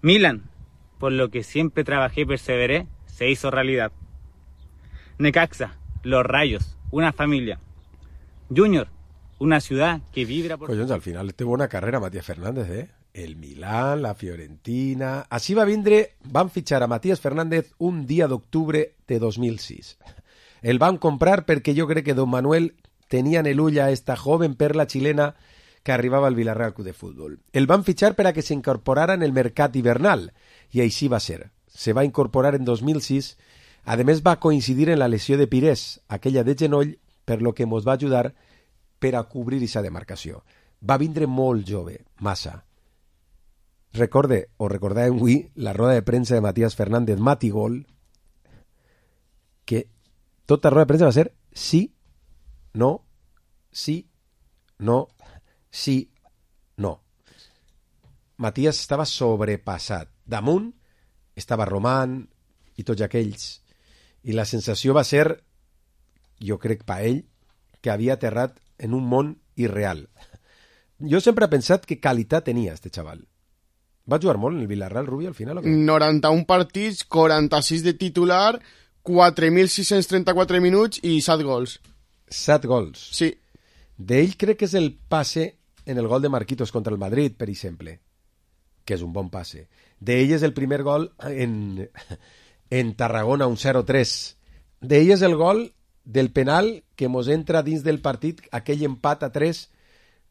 [SPEAKER 13] Milan, por lo que siempre trabajé y perseveré, se hizo realidad. Necaxa, los Rayos, una familia. Junior, una ciudad que vibra por...
[SPEAKER 3] Collons, al final té bona carrera Matías Fernández, eh? El Milán, la Fiorentina... Així va vindre, van fitxar a Matías Fernández un dia d'octubre de dos mil sis. El van comprar perquè jo crec que don Manuel tenia en el ull a esta joven perla chilena que arribava al Villarreal Club de Fútbol. El van fitxar per a que s'incorporara en el mercat hivernal, i així va ser. Se va incorporar en dos mil sis. A més, va coincidir en la lesió de Pires, aquella de genoll, per lo que mos va ajudar per a cobrir aquesta demarcació. Va vindre molt jove, massa. Recorde, o recordàvem avui, la roda de premsa de Matías Fernández Matigol, que tota roda de premsa va ser sí, no, sí, no, sí, no. Matías estava sobrepassat. Damunt estava Román i tots aquells. I la sensació va ser, jo crec per ell, que havia aterrat en un món irreal. Jo sempre he pensat que qualitat tenia este xaval. Va jugar molt en el Villarreal, Rubi, al final? O què?
[SPEAKER 4] noranta-un partits, quaranta-sis de titular, quatre mil sis-cents trenta-quatre minuts i set gols.
[SPEAKER 3] set gols?
[SPEAKER 4] Sí.
[SPEAKER 3] D'ell crec que és el passe en el gol de Marquitos contra el Madrid, per exemple, que és un bon passe. D'ell és el primer gol en, en Tarragona, un zero tres. D'ell és el gol del penal que mos entra dins del partit, aquell empat a tres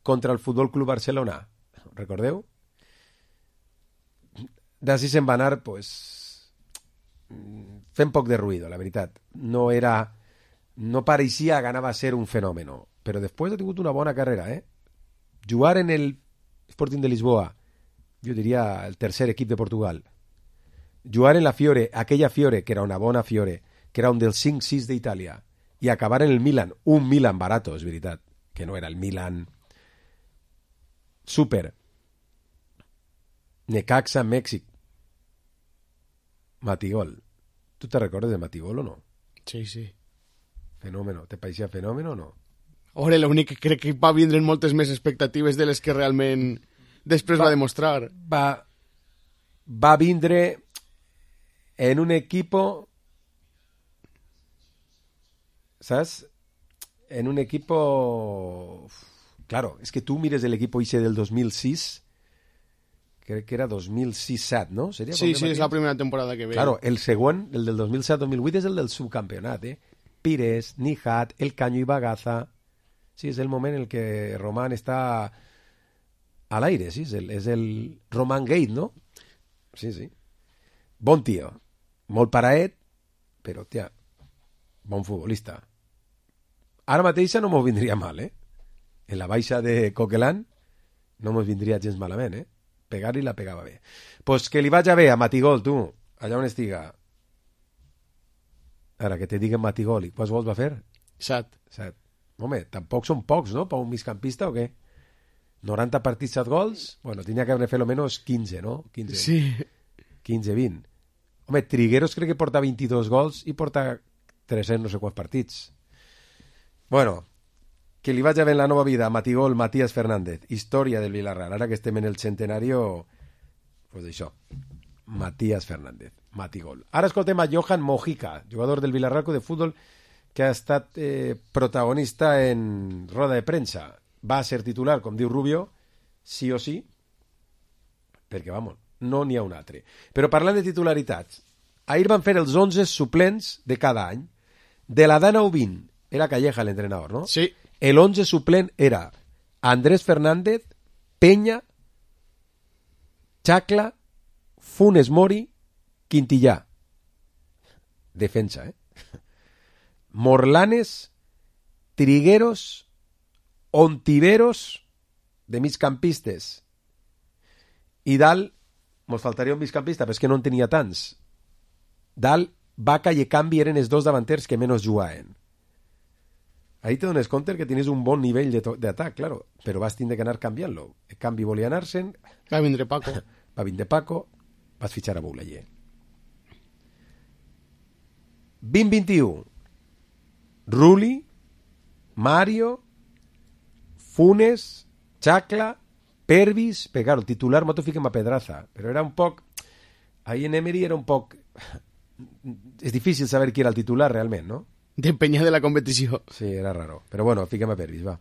[SPEAKER 3] contra el Futbol Club Barcelona. Recordeu? D'ací se'n va anar, pues, fent poc de ruïdo, la veritat. No era... No pareixia que anava a ser un fenomen, però després ha tingut una bona carrera, eh? Jugar en el Sporting de Lisboa, jo diria el tercer equip de Portugal. Jugar en la Fiore, aquella Fiore, que era una bona Fiore, que era un dels cinc sis d'Itàlia, i acabar en el Milan, un Milan barato, és veritat, que no era el Milan super. Necaxa, Mèxic. Matigol. Tu te recordes de Matigol o no?
[SPEAKER 4] Sí, sí.
[SPEAKER 3] Fenòmeno. Te pareixia fenòmeno o no?
[SPEAKER 4] Ora, l'únic que crec que va vindre moltes més expectatives de les que realment després va, va demostrar.
[SPEAKER 3] Va, va vindre en un equipo, ¿sabes? En un equipo... Claro, es que tú mires el equipo ese del dos mil sis, crec que era dos mil sis set, ¿no? ¿Sería
[SPEAKER 4] sí, sí, és la primera temporada que ve.
[SPEAKER 3] Claro, el següent, el del dos mil set dos mil vuit, és el del subcampionat, eh? Pires, Nijat, El Caño i Bagaza. Sí, és el moment en el que Román està a l'aire, sí, és el, és el Román Gate, no? Sí, sí. Bon tio. Molt paraet, però, tia, bon futbolista. Ara mateixa no m'ho vindria mal, eh? En la baixa de Coquelin no m'ho vindria gens malament, eh? Pegar-li la pegava bé. Pues que li vaig a bé a Matigol, tu, allà on estiga. Ara, que te diguen Matigol, i quants gols va fer?
[SPEAKER 4] Set.
[SPEAKER 3] Set. Home, tampoc són pocs, no?, per un migcampista o què? noranta partits, set gols? Bueno, tenia que haver fet almenys quinze, no? quinze.
[SPEAKER 4] Sí.
[SPEAKER 3] quinze, vint. Home, Trigueros crec que porta vint-i-dos gols i porta tres-cents no sé quants partits. Bueno, que li vaig a ver en la nova vida a Matigol, Matías Fernández, història del Villarreal. Ara que estem en el centenario, pues això, Matías Fernández, Matigol. Ara escoltem a Johan Mojica, jugador del Villarreal Club de Fútbol, que ha estat eh, protagonista en roda de premsa. Va ser titular, com diu Rubio, sí o sí, perquè, vamos, no n'hi ha un altre. Però parlant de titularitats, ahir van fer els onze suplents de cada any. De la Dana u vint, era Calleja l'entrenador, no?
[SPEAKER 4] Sí.
[SPEAKER 3] El once suplent era Andrés Fernández, Peña, Chacla, Funes Mori, Quintillà. Defensa, eh? Morlanes, Trigueros, Ontiveros, de migcampistes. I dalt, mos faltaria un migcampista, però és que no en tenia tants. Dalt, Vaca i Ekambi eren els dos davanters que menys jugaven. Ahí te dones compte que tienes un bon nivell d'atac, claro, però vas tindre que anar canviant-lo. Ekambi volia anar-se'n.
[SPEAKER 4] Va vindre Paco.
[SPEAKER 3] Va vindre Paco, vas fitxar a Boulaye. vint vint-i-u. Ruli, Mario, Funes, Chacla, Pervis, pero claro, el titular m'ho fiquem a Pedraza, però era un poc... Ahí en Emery era un poc... És difícil saber qui era el titular realment, no?
[SPEAKER 4] Depenia de la competició.
[SPEAKER 3] Sí, era raro. Però bueno, fiquem a Pervis, va.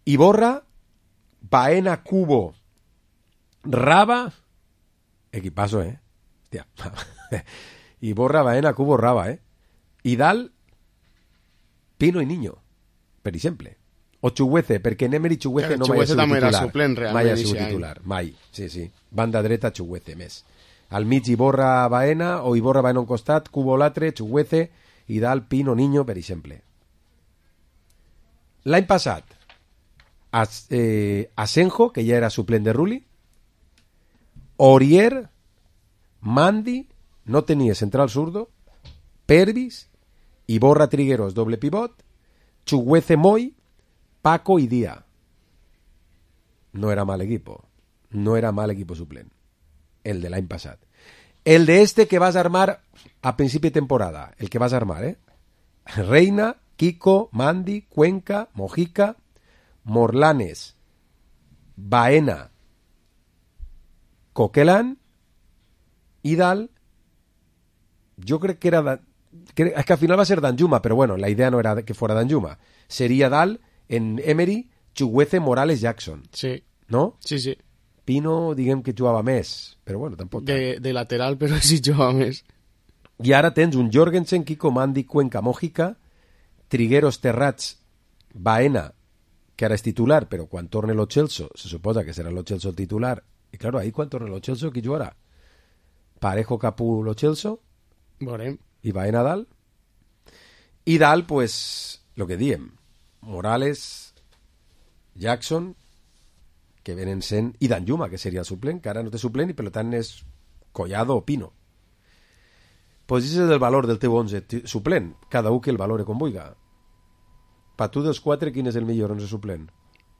[SPEAKER 3] Iborra, Baena, Cubo, Raba... Equipazo, eh? Hòstia. Iborra, Baena, Cubo, Raba, eh? I dalt, Pino i Niño, per exemple. O Chuguece, perquè en Emery Chuguece no mai ha sigut titular.
[SPEAKER 4] també era suplent, realment.
[SPEAKER 3] Mai ha sigut titular, mai. Sí, sí. Banda dreta, Chuguece, més. Al mig Iborra, Baena, o Iborra, Baena un costat, Cubo l'altre, Chuguece, i dalt Pino, Niño, per exemple. L'any passat, As, eh, Asenjo, que ja era suplent de Rulli, Orier, Mandi, no tenia central zurdo, Pervis, Iborra, Trigueros, doble pivot, Chuguece, Moy, Paco y Díaz. No era mal equipo. No era mal equipo suplent. El de l'any passat. El de este que vas a armar a principi de temporada. El que vas a armar, ¿eh? Reina, Kiko, Mandi, Cuenca, Mojica, Morlanes, Baena, Coquelán i dalt, jo crec que era... Que, es que al final va a ser Danjuma, pero bueno, la idea no era que fuera Danjuma. Sería dalt en Emery, Chuguece, Morales, Jackson.
[SPEAKER 4] Sí.
[SPEAKER 3] ¿No?
[SPEAKER 4] Sí, sí.
[SPEAKER 3] Pino, diguem que jugava més, però bueno, tampoc.
[SPEAKER 4] De, de lateral, però sí jugava més.
[SPEAKER 3] I ara tens un Jorgensen, Kiko, Mandi, Cuenca, Mojica, Trigueros, Terrats, Baena, que ara és titular, però quan torne Lo Celso, se suposa que serà Lo Celso el titular. I claro, ahí quan torne Lo Celso, qui jugarà? Parejo, Capú, Lo Celso.
[SPEAKER 4] Veurem.
[SPEAKER 3] I Baena dalt. I dalt, pues, lo que diem. Morales, Jackson, que venen sent, i Danjuma, que seria el suplent, que ara no té suplent i per tant és Collado o Pino. Pues ese és el valor del teu onze suplent, cada un que el valore com vulga. Per tu dels quatre, quin és el millor onze suplent?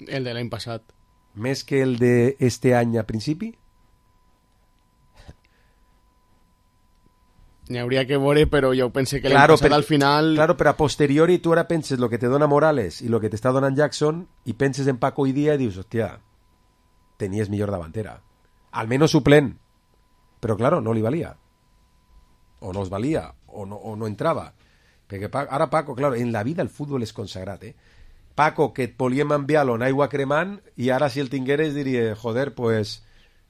[SPEAKER 4] El de l'any passat.
[SPEAKER 3] Més que el de este any a principi?
[SPEAKER 4] N'hi hauria que veure, però jo pense que
[SPEAKER 3] claro,
[SPEAKER 4] l'any passat
[SPEAKER 3] per,
[SPEAKER 4] al final...
[SPEAKER 3] Claro, però a posteriori tu ara penses lo que te dona Morales i lo que t'està donant Jackson i penses en Paco i Díaz i dius, hòstia, tenies millor davantera. Almenys suplent. Però claro, no li valia. O no es valia, o no, o no entrava. Perquè Paco, ara Paco, claro, en la vida el futbol és consagrat, eh? Paco, que et volíem enviar-lo en aigua cremant i ara si el tingueres diria, joder, pues,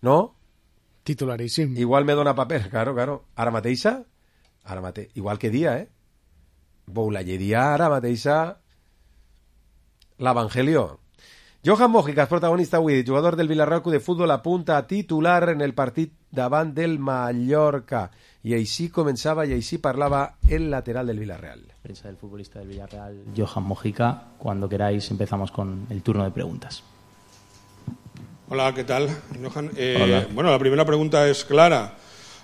[SPEAKER 3] no?
[SPEAKER 4] Titularíssim.
[SPEAKER 3] Igual me dona paper, claro, claro. Ara mateixa, ara mateix, igual que dia, eh? Boulayeria, ara mateixa, l'Evangelio. Johan Mojica és protagonista avui, jugador del Villarreal de Futbol, apunta a titular en el partit davant del Mallorca. I així començava i així parlava el lateral del Villarreal.
[SPEAKER 14] Prensa del futbolista del Villarreal, Johan Mojica. Cuando queráis empezamos con el turno de preguntas.
[SPEAKER 15] Hola, ¿qué tal, Johan? Eh,
[SPEAKER 14] Hola.
[SPEAKER 15] Bueno, la primera pregunta es clara.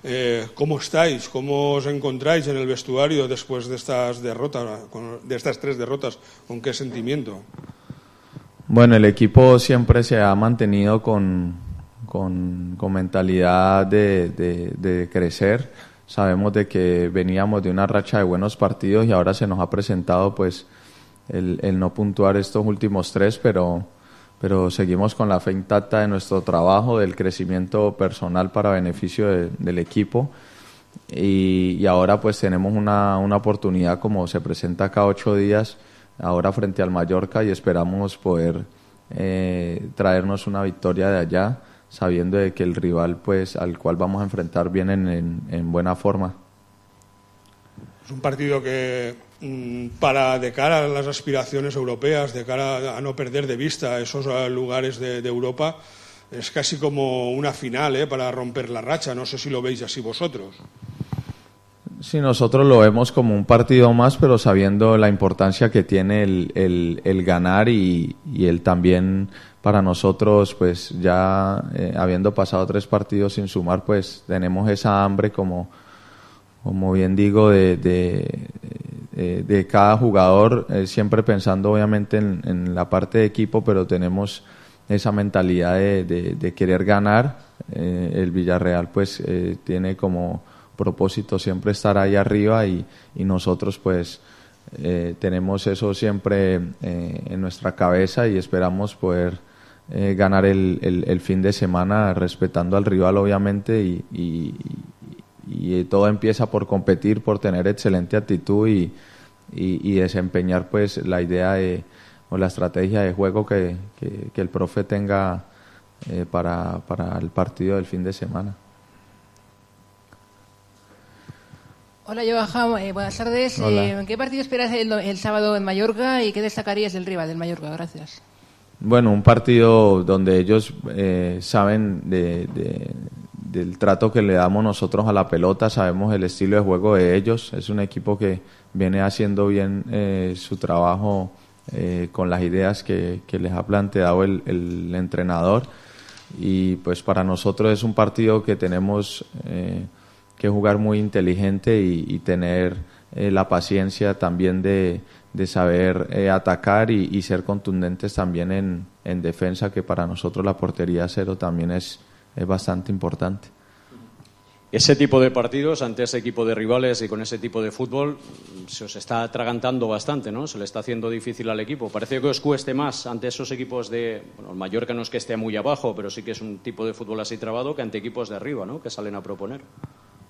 [SPEAKER 15] Eh, ¿Cómo estáis? ¿Cómo os encontráis en el vestuario después de estas derrotas, con, de estas tres derrotas? ¿Con qué sentimiento?
[SPEAKER 16] Bueno, el equipo siempre se ha mantenido con, con, con mentalidad de, de, de crecer. Sabemos de que veníamos de una racha de buenos partidos y ahora se nos ha presentado pues el, el no puntuar estos últimos tres, pero, pero seguimos con la fe intacta de nuestro trabajo, del crecimiento personal para beneficio de, del equipo. Y, y ahora pues tenemos una, una oportunidad, como se presenta cada ocho días, ahora frente al Mallorca, y esperamos poder eh, traernos una victoria de allá, sabiendo de que el rival pues al cual vamos a enfrentar viene en, en, en buena forma.
[SPEAKER 15] Es un partido que mmm, para de cara a las aspiraciones europeas, de cara a no perder de vista esos lugares de, de Europa, es casi como una final, ¿eh? Para romper la racha. No sé si lo veis así vosotros.
[SPEAKER 16] Sí, nosotros lo vemos como un partido más, pero sabiendo la importancia que tiene el, el, el ganar y, y el también para nosotros, pues ya eh, habiendo pasado tres partidos sin sumar, pues tenemos esa hambre, como, como bien digo, de, de, de, de cada jugador, eh, siempre pensando obviamente en, en la parte de equipo, pero tenemos esa mentalidad de, de, de querer ganar. Eh, el Villarreal pues eh, tiene como propósito siempre estar ahí arriba y, y nosotros pues eh, tenemos eso siempre eh, en nuestra cabeza y esperamos poder eh, ganar el, el, el fin de semana respetando al rival obviamente y, y, y todo empieza por competir, por tener excelente actitud y, y, y desempeñar pues la idea de, o la estrategia de juego que, que, que el profe tenga eh, para, para el partido del fin de semana.
[SPEAKER 17] Hola Johan, eh, buenas tardes. Eh, ¿Qué partido esperas el, el sábado en Mallorca y qué destacarías del rival del Mallorca? Gracias.
[SPEAKER 16] Bueno, un partido donde ellos eh, saben de, de, del trato que le damos nosotros a la pelota, sabemos el estilo de juego de ellos. Es un equipo que viene haciendo bien eh, su trabajo eh, con las ideas que, que les ha planteado el, el entrenador y pues para nosotros es un partido que tenemos eh, que jugar muy inteligente y, y tener eh, la paciencia también de, de saber eh, atacar y, y ser contundentes también en, en defensa, que para nosotros la portería cero también es, es bastante importante.
[SPEAKER 18] Ese tipo de partidos ante ese equipo de rivales y con ese tipo de fútbol se os está atragantando bastante, ¿no? Se le está haciendo difícil al equipo. Parece que os cueste más ante esos equipos de... Bueno, el Mallorca no es que esté muy abajo, pero sí que es un tipo de fútbol así trabado que ante equipos de arriba, ¿no? Que salen a proponer.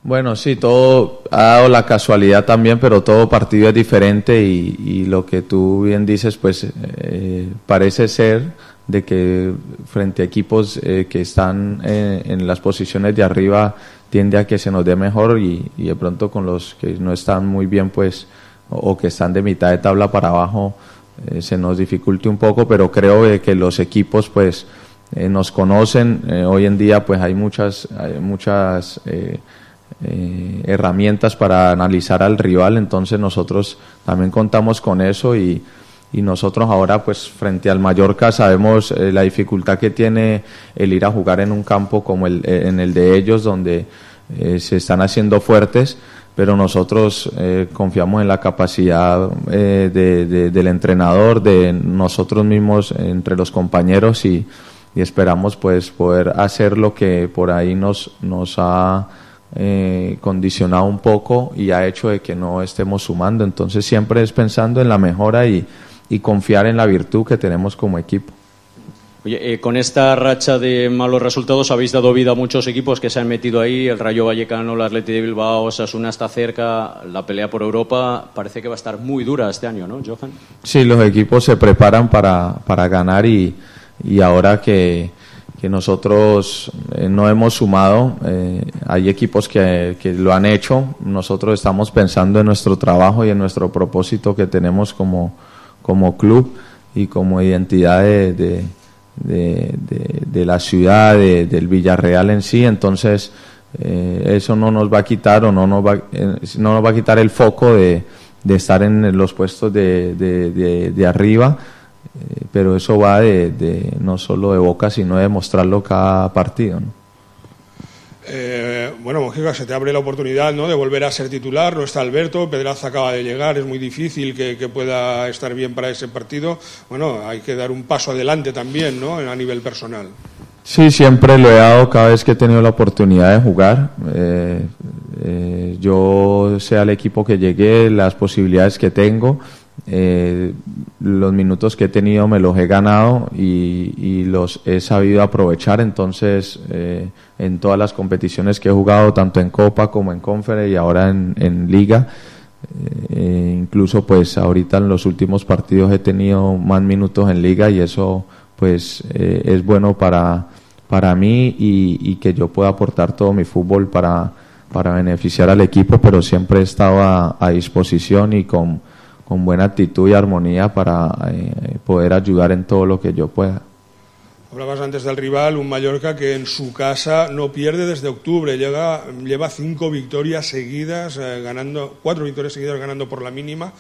[SPEAKER 16] Bueno, sí, todo ha dado la casualidad también, pero todo partido es diferente y, y lo que tú bien dices, pues eh, parece ser de que frente a equipos eh, que están eh, en las posiciones de arriba tiende a que se nos dé mejor y, y de pronto con los que no están muy bien, pues, o, o que están de mitad de tabla para abajo, eh, se nos dificulte un poco, pero creo eh, que los equipos, pues, eh, nos conocen. Eh, hoy en día, pues, hay muchas, hay muchas eh, Eh, herramientas para analizar al rival, entonces nosotros también contamos con eso y, y nosotros ahora pues frente al Mallorca sabemos eh, la dificultad que tiene el ir a jugar en un campo como el, eh, en el de ellos donde eh, se están haciendo fuertes, pero nosotros eh, confiamos en la capacidad eh, de, de, del entrenador, de nosotros mismos entre los compañeros y, y esperamos pues poder hacer lo que por ahí nos, nos ha Eh, condicionado un poco y ha hecho de que no estemos sumando, entonces siempre es pensando en la mejora y, y confiar en la virtud que tenemos como equipo.
[SPEAKER 18] Oye, eh, con esta racha de malos resultados habéis dado vida a muchos equipos que se han metido ahí, el Rayo Vallecano, el Athletic de Bilbao, Osasuna está cerca, la pelea por Europa parece que va a estar muy dura este año, ¿no, Johan?
[SPEAKER 16] Sí, los equipos se preparan para, para ganar y, y ahora que que nosotros eh, no hemos sumado, eh, hay equipos que, que lo han hecho, nosotros estamos pensando en nuestro trabajo y en nuestro propósito que tenemos como, como club y como identidad de, de, de, de, de la ciudad, de, del Villarreal en sí, entonces eh, eso no nos va a quitar o no nos va, eh, no nos va a quitar el foco de, de estar en los puestos de, de, de, de arriba. Eh, pero eso va de, de no solo de boca, sino de mostrarlo cada partido, ¿no?
[SPEAKER 15] Eh, bueno, Mojica, se te abre la oportunidad, ¿no?, de volver a ser titular. No está Alberto, Pedraza acaba de llegar, es muy difícil que, que pueda estar bien para ese partido. Bueno, hay que dar un paso adelante también, ¿no?, a nivel personal.
[SPEAKER 16] Sí, siempre lo he dado cada vez que he tenido la oportunidad de jugar. Eh, eh, yo sé al equipo que llegué, las posibilidades que tengo. Eh, los minutos que he tenido me los he ganado y, y los he sabido aprovechar, entonces eh, en todas las competiciones que he jugado, tanto en Copa como en Conference y ahora en, en Liga, eh, incluso pues ahorita en los últimos partidos he tenido más minutos en Liga y eso pues eh, es bueno para, para mí y, y que yo pueda aportar todo mi fútbol para, para beneficiar al equipo, pero siempre he estado a, a disposición y con con buena actitud y armonía para eh, poder ayudar en todo lo que yo pueda.
[SPEAKER 15] Hablabas antes del rival, un Mallorca que en su casa no pierde desde octubre, llega, lleva cinco victorias seguidas, eh, ganando cuatro victorias seguidas ganando por la mínima.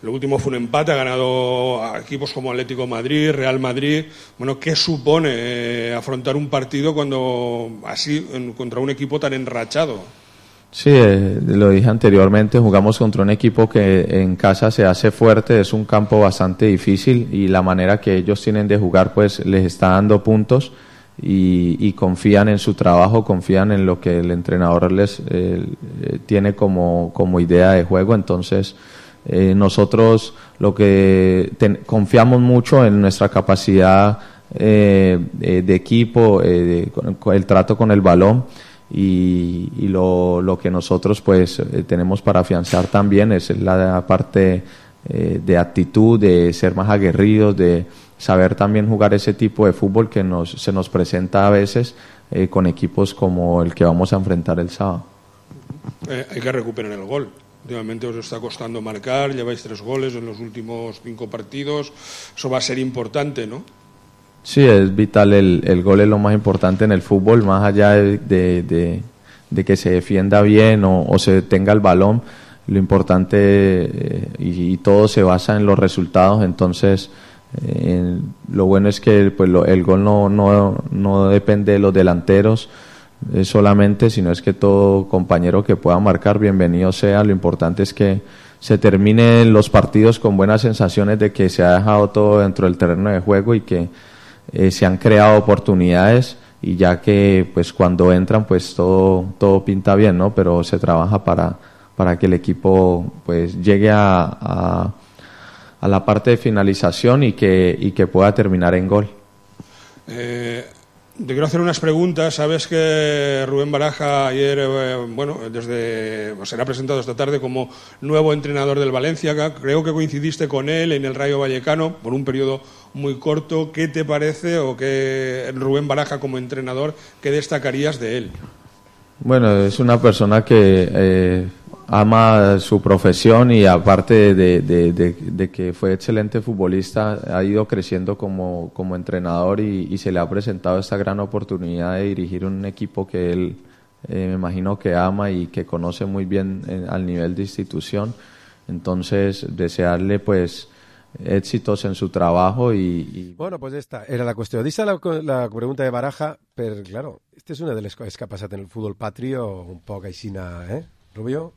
[SPEAKER 15] Lo último fue un empate, ha ganado a equipos como Atlético de Madrid, Real Madrid. Bueno, ¿qué supone eh, afrontar un partido cuando así en, contra un equipo tan enrachado?
[SPEAKER 16] Sí, eh, lo dije anteriormente, jugamos contra un equipo que en casa se hace fuerte, es un campo bastante difícil y la manera que ellos tienen de jugar pues les está dando puntos y, y confían en su trabajo, confían en lo que el entrenador les eh, tiene como, como idea de juego, entonces Eh, nosotros lo que ten, confiamos mucho en nuestra capacidad eh, de, de equipo, eh, de, con el trato con el balón y, y lo, lo que nosotros pues eh, tenemos para afianzar también es la parte eh, de actitud, de ser más aguerridos, de saber también jugar ese tipo de fútbol que nos, se nos presenta a veces eh, con equipos como el que vamos a enfrentar el sábado.
[SPEAKER 15] Eh, hay que recuperar el gol. Últimamente os está costando marcar, lleváis tres goles en los últimos cinco partidos, eso va a ser importante, ¿no?
[SPEAKER 16] Sí, es vital, el, el gol es lo más importante en el fútbol, más allá de, de, de, de que se defienda bien o, o se tenga el balón, lo importante eh, y, y todo se basa en los resultados, entonces eh, lo bueno es que pues, lo, el gol no, no, no depende de los delanteros, Eh, solamente, sino es que todo compañero que pueda marcar, bienvenido sea. Lo importante es que se terminen los partidos con buenas sensaciones de que se ha dejado todo dentro del terreno de juego y que eh, se han creado oportunidades, y ya que pues cuando entran pues todo todo pinta bien, ¿no? Pero se trabaja para para que el equipo pues llegue a, a, a la parte de finalización y que y que pueda terminar en gol.
[SPEAKER 15] Eh... Te quiero hacer unas preguntas. Sabes que Rubén Baraja ayer, eh, bueno, desde pues, será presentado esta tarde como nuevo entrenador del Valencia. Creo que coincidiste con él en el Rayo Vallecano por un periodo muy corto. ¿Qué te parece o qué Rubén Baraja como entrenador, qué destacarías de él?
[SPEAKER 16] Bueno, es una persona que eh, ama su profesión y aparte de, de, de, de que fue excelente futbolista, ha ido creciendo como, como entrenador y, y se le ha presentado esta gran oportunidad de dirigir un equipo que él eh, me imagino que ama y que conoce muy bien eh, al nivel de institución. Entonces, desearle pues éxitos en su trabajo y, y...
[SPEAKER 3] Bueno, pues esta era la qüestió. Deixa la, la pregunta de Baraja, però, claro, esta és una de les coses que ha passat en el futbol patrio, un poc aixina, eh, Rubio?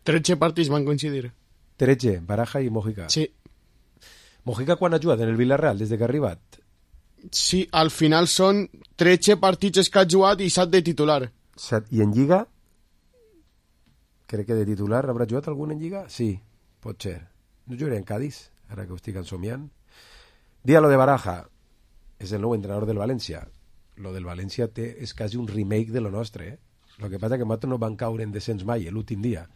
[SPEAKER 4] tretze partits van coincidir.
[SPEAKER 3] tretze, Baraja i Mojica.
[SPEAKER 4] Sí.
[SPEAKER 3] Mojica quan ha jugat en el Villarreal, des de que ha arribat?
[SPEAKER 4] Sí, al final són tretze partits que ha jugat i set de titular.
[SPEAKER 3] set. I en Lliga? Crec que de titular haurà jugat algun en Lliga? Sí, pot ser. No jugaré en Cádiz, ara que ho estic ensomiant. Dia lo de Baraja, és el nou entrenador del València. Lo del València té, és quasi un remake de lo nostre, eh? Lo que passa que nosaltres no van caure en descens mai l'últim dia,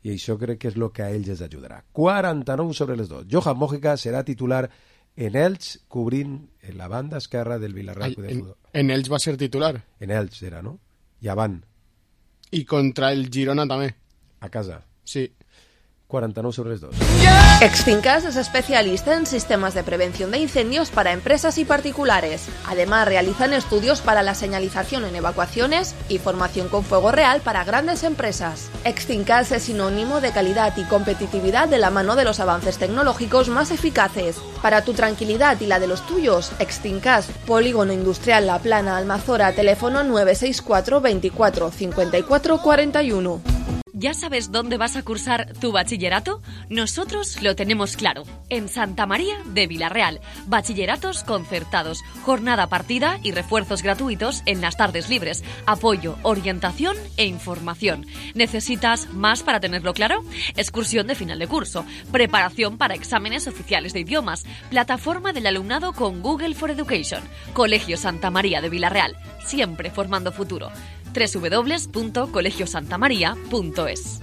[SPEAKER 3] i això crec que és el que a ells els ajudarà. quaranta-nou sobre les dos. Johan Mojica serà titular en Elx, cobrint en la banda esquerra del Villarreal.
[SPEAKER 4] Ay, en, en Elx va ser titular.
[SPEAKER 3] En Elx era, no? I avant.
[SPEAKER 4] I contra el Girona també.
[SPEAKER 3] A casa.
[SPEAKER 4] Sí.
[SPEAKER 3] cuarenta y nueve sobre los dos.
[SPEAKER 11] Extincas es especialista en sistemas de prevención de incendios para empresas y particulares. Además, realizan estudios para la señalización en evacuaciones y formación con fuego real para grandes empresas. Extincas es sinónimo de calidad y competitividad de la mano de los avances tecnológicos más eficaces. Para tu tranquilidad y la de los tuyos, Extincas, Polígono Industrial La Plana, Almazora, teléfono nueve seis cuatro veinticuatro cincuenta y cuatro cuarenta y uno.
[SPEAKER 19] ¿Ya sabes dónde vas a cursar tu bachillerato? Nosotros lo tenemos claro. En Santa María de Vilarreal. Bachilleratos concertados, jornada partida y refuerzos gratuitos en las tardes libres. Apoyo, orientación e información. ¿Necesitas más para tenerlo claro? Excursión de final de curso. Preparación para exámenes oficiales de idiomas. Plataforma del alumnado con Google for Education. Colegio Santa María de Vilarreal. Siempre formando futuro. doble u doble u doble u punto colegio santa maria punto es.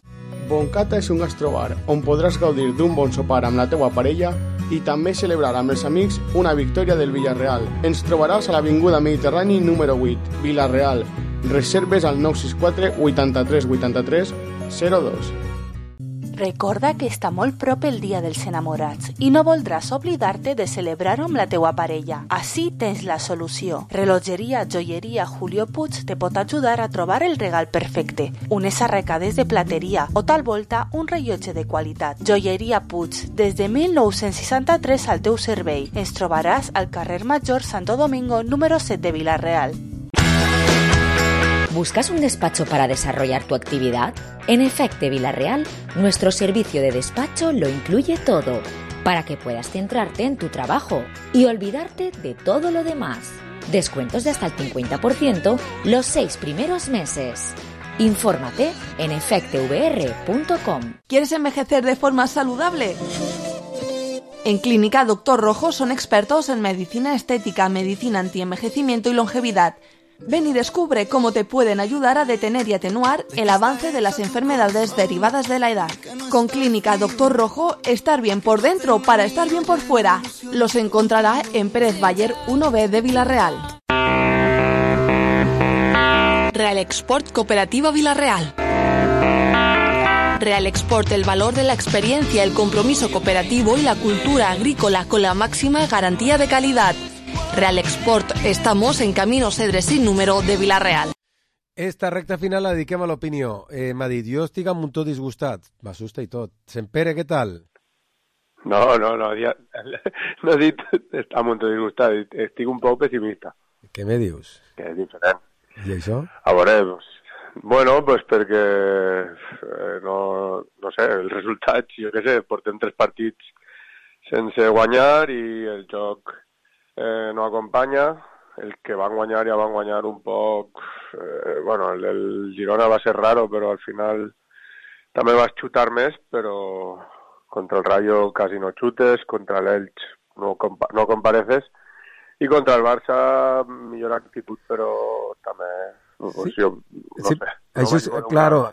[SPEAKER 4] Boncata és un gastrobar on podràs gaudir d'un bon sopar amb la teua parella i també celebrar amb els amics una victòria del Villarreal. Ens trobaràs a l'Avinguda Mediterrani número vuit, Vilarreal. Reserves al nou sis quatre vuitanta-tres vuitanta-tres zero dos.
[SPEAKER 20] Recorda que està molt prop el Dia dels Enamorats i no voldràs oblidar-te de celebrar-ho amb la teua parella. Així tens la solució. Relogeria Joieria Julio Puig te pot ajudar a trobar el regal perfecte. Unes arracades de plateria o tal volta un rellotge de qualitat. Joieria Puig, des de mil nou-cents seixanta-tres al teu servei. Ens trobaràs al carrer Major Santo Domingo número set de Vilarreal.
[SPEAKER 6] ¿Buscas un despacho para desarrollar tu actividad? En Efecte Vilarreal, nuestro servicio de despacho lo incluye todo, para que puedas centrarte en tu trabajo y olvidarte de todo lo demás. Descuentos de hasta el cincuenta por ciento los seis primeros meses. Infórmate en efecte v r punto com.
[SPEAKER 20] ¿Quieres envejecer de forma saludable? En Clínica Doctor Rojo son expertos en medicina estética, medicina antienvejecimiento y longevidad. Ven y descubre cómo te pueden ayudar a detener y atenuar el avance de las enfermedades derivadas de la edad. Con Clínica Doctor Rojo, estar bien por dentro para estar bien por fuera. Los encontrará en Pérez Bayer uno B de Villarreal. Real Export Cooperativa Villarreal. Real Export, el valor de la experiencia, el compromiso cooperativo y la cultura agrícola con la máxima garantía de calidad. Real Export, estamos en Camino Cedre sin número de Villarreal.
[SPEAKER 3] Esta recta final la dediquem a l'opinió. Eh, M'ha dit, jo estic un muntó disgustat. M'assusta i tot. Sempere, què tal?
[SPEAKER 21] No, no, no, ja, no he dit estar un muntó disgustat, estic un poc pessimista.
[SPEAKER 3] Què me dius?
[SPEAKER 21] Que és diferent.
[SPEAKER 3] I això?
[SPEAKER 21] A veure, pues, bueno, pues perquè, eh, no, no sé, els resultats, jo què sé, portem tres partits sense guanyar i el joc Eh, no acompanya. El que van guanyar ja van guanyar un poc, eh, bueno, el, el Girona va ser raro, però al final també vas xutar més, però contra el Rayo quasi no xutes, contra l'Elx no, compa no compareces, i contra el Barça millor actitud, però també, pues,
[SPEAKER 3] sí.
[SPEAKER 21] jo no
[SPEAKER 3] sí.
[SPEAKER 21] sé.
[SPEAKER 3] Això
[SPEAKER 21] no
[SPEAKER 3] és, claro,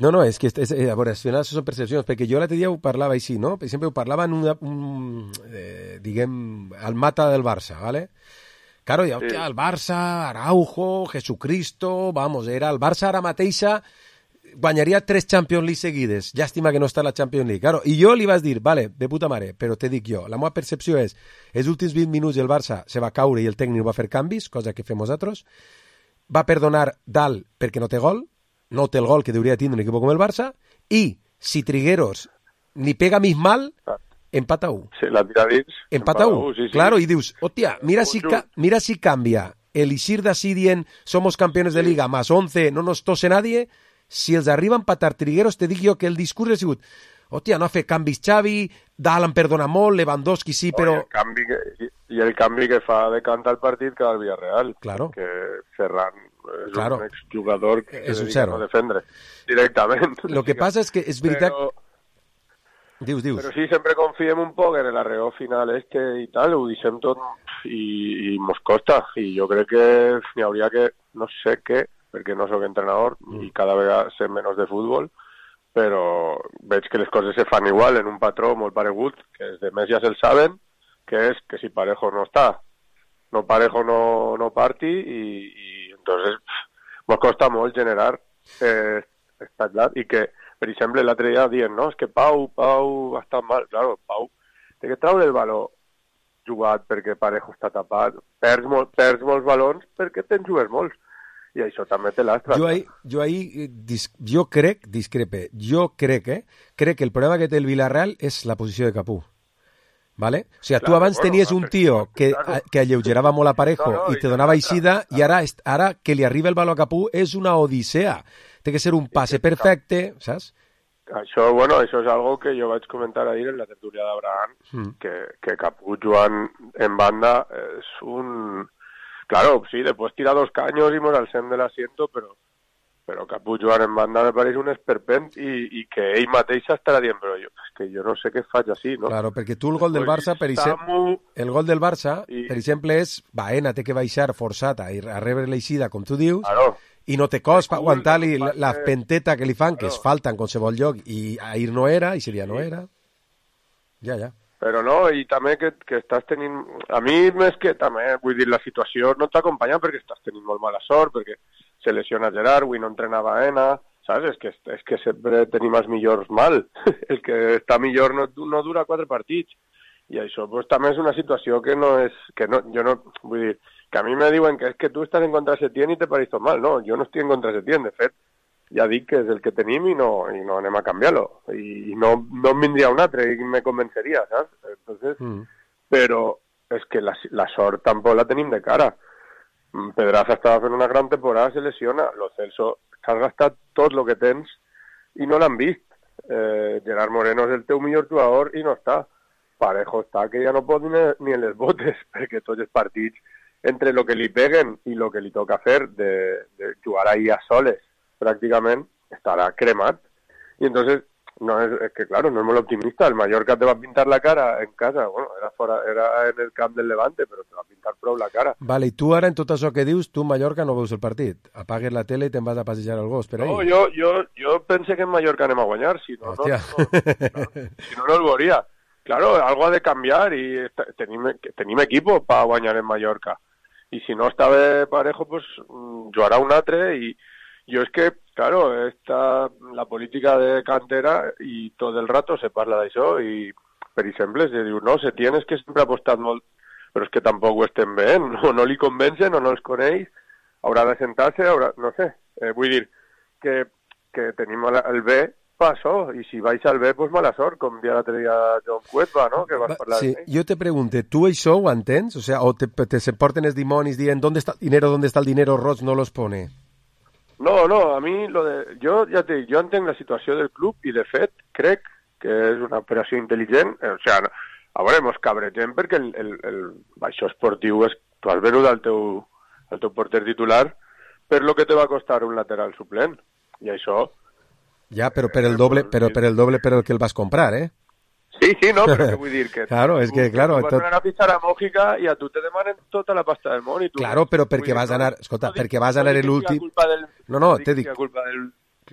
[SPEAKER 3] no, no, és que, és,
[SPEAKER 21] eh,
[SPEAKER 3] a veure, al final són percepcions, perquè jo l'altre dia ho parlava així, no? Per exemple, ho parlava en una, un, eh, diguem, al mata del Barça, ¿vale? Claro, ja, hòstia, el Barça, Araujo, Jesucristo, vamos, era el Barça ara mateixa, guanyaria tres Champions League seguides, llàstima que no està a la Champions League, claro, i jo li vaig dir, vale, de puta mare, però te dic jo, la meva percepció és, els últims vint minuts el Barça se va caure i el tècnic va fer canvis, cosa que fem nosaltres, va perdonar dalt perquè no té gol, no té el gol que hauria de tindre un equip com el Barça, i si Trigueros ni pega mig mal, empata u.
[SPEAKER 21] Sí, la tira dins.
[SPEAKER 3] Empata u, sí, sí. Claro, i dius, hòstia, mira si, ca mira si cambia el Isir d'ací dient somos campeones de Liga, más once, no nos tose nadie, si els arriba a empatar Trigueros, te dic jo que el discurs ha sigut, hòstia, no ha fet canvis Xavi, Dalt perdona molt, Lewandowski sí, però...
[SPEAKER 21] Oh, i, el canvi que, i el canvi que fa de cantar el partit que el Villarreal,
[SPEAKER 3] claro.
[SPEAKER 21] Que Ferran és
[SPEAKER 3] claro.
[SPEAKER 21] un exjugador que
[SPEAKER 3] és
[SPEAKER 21] se
[SPEAKER 3] un
[SPEAKER 21] dedica a no defendre directament.
[SPEAKER 3] Lo que passa és que és veritat...
[SPEAKER 21] Però,
[SPEAKER 3] dius, dius.
[SPEAKER 21] Però sí, sempre confiem un poc en l'arreó final este i tal, ho deixem tot i, i mos costa. I jo crec que n'hi hauria que, no sé què, perquè no sóc entrenador mm. i cada vegada sé menys de futbol, però veig que les coses se fan igual en un patró molt paregut, que els demés ja se'l saben, que és que si Parejo no està, no Parejo no, no parti i, i entonces mos costa molt generar eh, estat i que, per exemple, l'altre dia dient, no, és que Pau, Pau ha estat mal, claro, Pau té que treure el valor jugat perquè Parejo està tapat, perds, molt, perds molts valors perquè te'n jugues molts. I això també té l'astre.
[SPEAKER 3] Jo ahí, jo ahí, dis, jo crec, discrepe, jo crec, eh, crec que el problema que té el Villarreal és la posició de Capú. ¿Vale? O sea, claro, tu abans bueno, tenies un tio que, claro. que alleugerava molt a Parejo no, no, i te donava eixida i ara, ara que li arriba el valor a Capú és una odissea. Té que ser un passe perfecte, saps?
[SPEAKER 21] Això, bueno, això és algo que jo vaig comentar ahir en la tertúlia d'Abraham, mm. que, que Capú jugant en banda és un... Claro, sí, después tira dos caños y mos alcem de l'asiento, però però Capú jugant en banda me pareix un esperpent i, i que ell mateix estarà dient, però jo, és que jo no sé què faig així, no?
[SPEAKER 3] Claro, perquè tu el gol del Barça, per exemple, el gol del Barça, i... per exemple, és Baena té que baixar forçat a, a rebre l'eixida, com tu dius,
[SPEAKER 21] claro.
[SPEAKER 3] I no té cos per aguantar-li la, la penteta que li fan, que claro. Es falta en qualsevol lloc, i ahir no era, i seria no era. Ja, ja.
[SPEAKER 21] Però no, i també que, que estàs tenint... A mi més que també, vull dir, la situació no t'acompanya perquè estàs tenint molt mala sort, perquè se lesiona Gerard, avui no entrena Baena, saps? És que, és que sempre tenim els millors mal. El que està millor no, no dura quatre partits. I això pues, també és una situació que no és... Que no, jo no... Vull dir, que a mi me diuen que és que tu estàs en contra de Setién i te pareix tot mal. No, jo no estic en contra de Setién, de fet. Ja dic que és el que tenim i no, i no anem a canviar-lo. I, i no, no em vindria un altre i me convenceria, saps? Entonces, mm. Però és que la, la sort tampoc la tenim de cara. Pedraza estava fent una gran temporada, se lesiona. Lo Celso, t'has gastat tot el que tens i no l'han vist. Eh, Gerard Moreno és el teu millor jugador i no està. Parejo està que ja no pot ni, ni en les botes, perquè tots els partits, entre el que li peguen i el que li toca fer de, de jugar ahí a soles, prácticament estarà cremat. I entonces, no és, és que claro, no és molt optimista. El Mallorca te va pintar la cara en casa, bueno, era, fora, era en el camp del Levante, però te va pintar prou la cara.
[SPEAKER 3] Vale, i tu ara, en tot això que dius, tu, Mallorca, no veus el partit. Apagues la tele i te'n vas a passejar al gos per ahí.
[SPEAKER 21] No, jo, jo, jo pense que en Mallorca anem a guanyar, si no, no, no, no, si no, no el veuria. Claro, algo ha de canviar i tenim, tenim equipo per guanyar en Mallorca. I si no està bé parejo, pues jugarà un altre i yo es que, claro, esta, la política de cantera y todo el rato se parla d'això i, per exemple, se diu, no, se tienes que sempre apostar molt, però és que tampoc ho estem veient, o no li convencen o no els coneix, haurà de sentar-se, haurà, no sé, eh, vull dir que, que tenim el B per això, i si vais al B, pues mala sort, com dia l'altre dia John Cuetva, no?, que vas parlar
[SPEAKER 3] sí,
[SPEAKER 21] de
[SPEAKER 3] jo te pregunte, tu això ho entens? O sea, o te, te se porten els dimonis dient, ¿dónde está el dinero, dónde está el dinero? Roig no los pone.
[SPEAKER 21] No, no, a mi lo de... Jo ja te dic, jo entenc la situació del club i de fet crec que és una operació intel·ligent, o sigui, a veure, mos cabregem perquè el, el, el baixó esportiu és... Tu has venut al teu, al teu porter titular per lo que te va costar un lateral suplent, i això...
[SPEAKER 3] Ja, però per el doble, però per el doble per el que el vas comprar, eh?
[SPEAKER 21] Sí, sí, no, però què vull dir? Que
[SPEAKER 3] claro, és que, claro...
[SPEAKER 21] Tu vas tot... anar a fitxar a Mójica i a tu te demanen tota la pasta del món i tu...
[SPEAKER 3] Claro, però perquè vas anar... Escolta, perquè vas anar l'últim... No, no, te dic...
[SPEAKER 21] Del...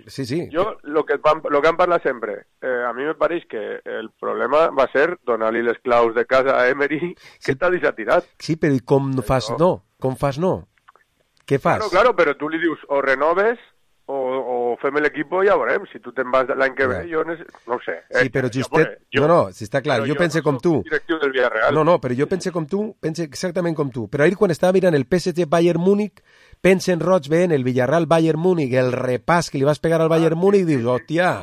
[SPEAKER 3] Sí, sí.
[SPEAKER 21] Jo, lo que, van, lo que han parlat sempre, eh, a mi me pareix que el problema va ser donar-li les claus de casa a Emery, que està desatirat.
[SPEAKER 3] Sí, però i com fas no? Com fas no? Què fas?
[SPEAKER 21] Claro, claro, però tu li dius o renoves o, o fem l'equipo i ja veurem. Si tu te'n vas l'any que ve, jo no, no ho sé. Eh,
[SPEAKER 3] sí, però justet... Jo, no, no, si està clar, jo, jo pense
[SPEAKER 21] no
[SPEAKER 3] com tu.
[SPEAKER 21] Directiu del Villarreal.
[SPEAKER 3] No, no, però jo pense com tu, pense exactament com tu. Però ahir quan estava mirant el P S G Bayern Múnich, pensa en Roig veient el Villarreal Bayern Múnich, el repàs que li vas pegar al Bayern Múnich, i dius, hòstia,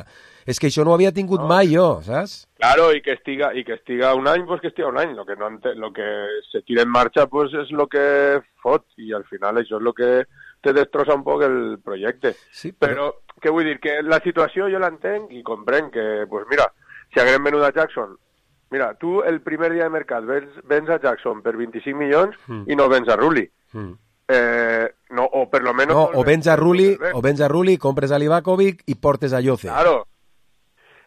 [SPEAKER 3] és que això no ho havia tingut no. mai jo, saps?
[SPEAKER 21] Claro, y que estiga y que estiga un any, pues que estiga un any. Lo que no lo que se tira en marcha, pues es lo que fot, y al final això és lo que te destrossa un poc el projecte.
[SPEAKER 3] Sí,
[SPEAKER 21] però... però, què vull dir? Que la situació jo l'entenc i comprenc que, pues mira, si haguem venut a Jackson, mira, tu el primer dia de mercat vens, vens a Jackson per vint-i-cinc milions mm. i no vens a Rulli. Mm. Eh, no, o per lo menos...
[SPEAKER 3] No, o vens a Rulli, o vens a Rulli, compres a Livakovic i portes a Yoce.
[SPEAKER 21] Claro,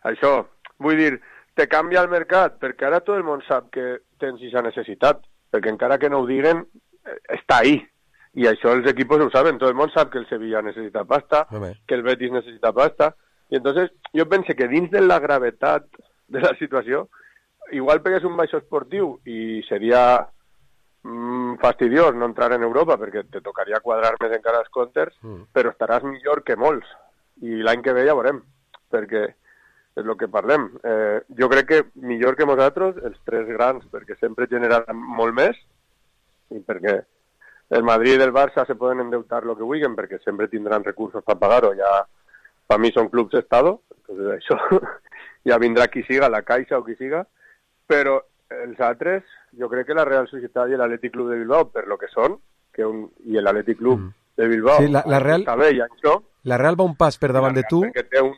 [SPEAKER 21] això, vull dir, te canvia el mercat, perquè ara tot el món sap que tens aquesta necessitat, perquè encara que no ho diguen, està ahí. I això els equipos ho saben, tot el món sap que el Sevilla necessita pasta, Home. que el Betis necessita pasta, i entonces jo pense que dins de la gravetat de la situació, igual pegues un baixo esportiu i seria mm, fastidiós no entrar en Europa perquè te tocaria quadrar més encara els comptes, mm. però estaràs millor que molts, i l'any que ve ja veurem, perquè és el que parlem. Eh, jo crec que millor que nosaltres, els tres grans, perquè sempre generaran molt més, i perquè el Madrid i el Barça se poden endeutar lo que vulguin perquè sempre tindran recursos per pagar-ho. Ja, per mi són clubs d'estado, entonces això ja vindrà qui siga, la Caixa o qui siga, però els altres, jo crec que la Real Societat i l'Atlètic Club de Bilbao, per lo que són, que un, i l'Atlètic Club mm. de Bilbao,
[SPEAKER 3] sí, la, la Real,
[SPEAKER 21] està bé, ja això,
[SPEAKER 3] la Real va un pas per davant de tu,
[SPEAKER 21] perquè té, un,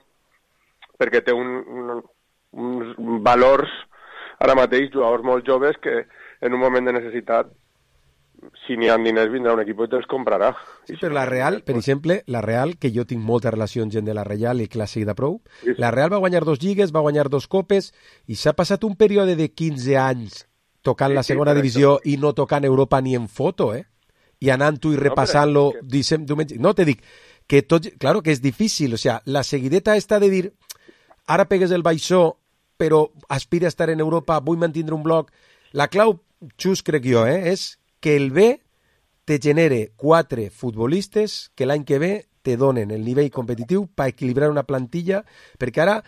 [SPEAKER 21] perquè té un, un, uns valors, ara mateix, jugadors molt joves que en un moment de necessitat si n'hi ha diners vindrà un equip i te'ls comprarà.
[SPEAKER 3] Sí, però la Real, per exemple, la Real, que jo tinc molta relació amb gent de la Real i clàssic de prou, sí. La Real va guanyar dos lligues, va guanyar dos copes i s'ha passat un període de quinze anys tocant sí, la segona sí, divisió això. I no tocant Europa ni en foto, eh? I anant-ho i repassant-lo no, que... diumenge. No, te dic que tot... Claro que és difícil, o sea, la seguideta està de dir ara pegues el baixó però aspira a estar en Europa, vull mantindre un bloc. La clau, xus, crec jo, eh, és que el B te genere quatre futbolistes que l'any que ve te donen el nivell competitiu per equilibrar una plantilla, perquè ara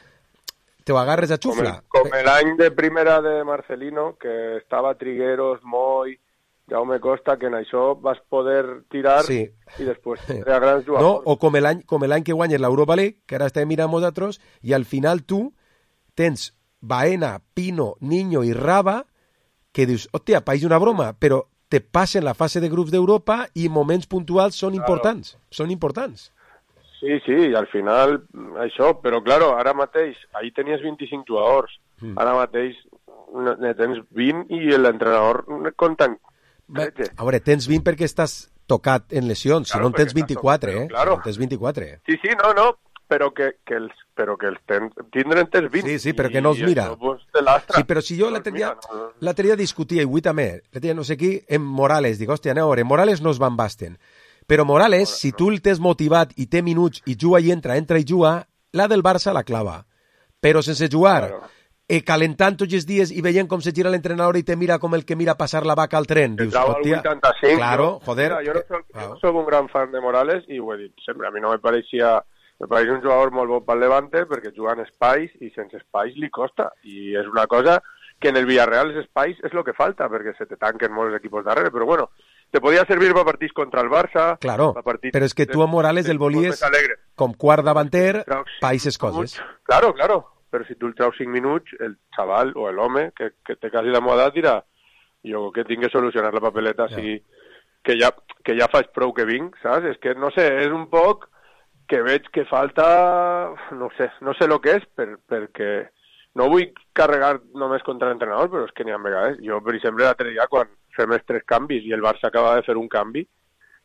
[SPEAKER 3] te ho agarres a xufla.
[SPEAKER 21] Com l'any de primera de Marcelino, que estava Trigueros, Moy, Jaume Costa, que en això vas poder tirar sí. I després tindrà grans jugadors.
[SPEAKER 3] No, o com l'any com l'any que guanyes l'Europa League, que ara estem mirant nosaltres, i al final tu tens Baena, Pino, Niño i Raba, que dius, hòstia, país una broma, però te passen la fase de grups d'Europa i moments puntuals són claro. importants. Són importants.
[SPEAKER 21] Sí, sí, i al final això, però claro, ara mateix, ahir tenies vint-i-cinc jugadors, mm. ara mateix ne tens vint i l'entrenador compten tretze.
[SPEAKER 3] A veure, tens vint perquè estàs tocat en lesions,
[SPEAKER 21] Claro,
[SPEAKER 3] si no en tens
[SPEAKER 21] perquè
[SPEAKER 3] vint-i-quatre,
[SPEAKER 21] però,
[SPEAKER 3] eh?
[SPEAKER 21] claro.
[SPEAKER 3] Si no en tens vint-i-quatre.
[SPEAKER 21] Sí, sí, no, no, però que, que els, però que els ten, tindren tens vint.
[SPEAKER 3] Sí, sí, però que no els
[SPEAKER 21] i
[SPEAKER 3] mira.
[SPEAKER 21] això, pues, te lastra.
[SPEAKER 3] Sí, però si jo
[SPEAKER 21] No
[SPEAKER 3] l'altre
[SPEAKER 21] els
[SPEAKER 3] dia,
[SPEAKER 21] mira, no.
[SPEAKER 3] l'altre dia discutia, i avui també, l'altre dia no sé qui, en Morales, dic, hòstia, aneu a veure, Morales no es van basten. Però Morales, si tu el tens motivat i té minuts i juga i entra, entra i juga, la del Barça la clava. Però sense jugar,
[SPEAKER 21] Claro.
[SPEAKER 3] eh, calentant tots els dies i veient com se gira l'entrenador i te mira com el que mira passar la vaca al tren.
[SPEAKER 21] El
[SPEAKER 3] Dius,
[SPEAKER 21] trau al
[SPEAKER 3] hòstia,
[SPEAKER 21] vuitanta-cinc.
[SPEAKER 3] claro,
[SPEAKER 21] jo,
[SPEAKER 3] joder.
[SPEAKER 21] Mira, jo no soc, jo no soc un gran fan de Morales i ho he dit sempre. A mi no me pareixia... Me pareix un jugador molt bo pel Levante perquè juga en espais i sense espais li costa. I és una cosa que en el Villarreal els espais és el que falta perquè se te tanquen molts equipos darrere. Però bueno, te podia servir per partits contra el Barça.
[SPEAKER 3] Claro,
[SPEAKER 21] per partits
[SPEAKER 3] però és que tu a Morales el volies com quart davanter, païses coses.
[SPEAKER 21] Claro, claro. Però si tu el traus cinc minuts, el xaval o l'home que, que té quasi la meva edat dirà jo que tinc que solucionar la papeleta
[SPEAKER 3] Ja.
[SPEAKER 21] si, que, ja, que ja faig prou que vinc, saps? És que, no sé, és un poc que veig que falta, no sé, no sé el que és, per, perquè no vull carregar només contra l'entrenador, però és que n'hi ha vegades. Jo, per exemple, l'altre dia, quan fem els tres canvis i el Barça acaba de fer un canvi,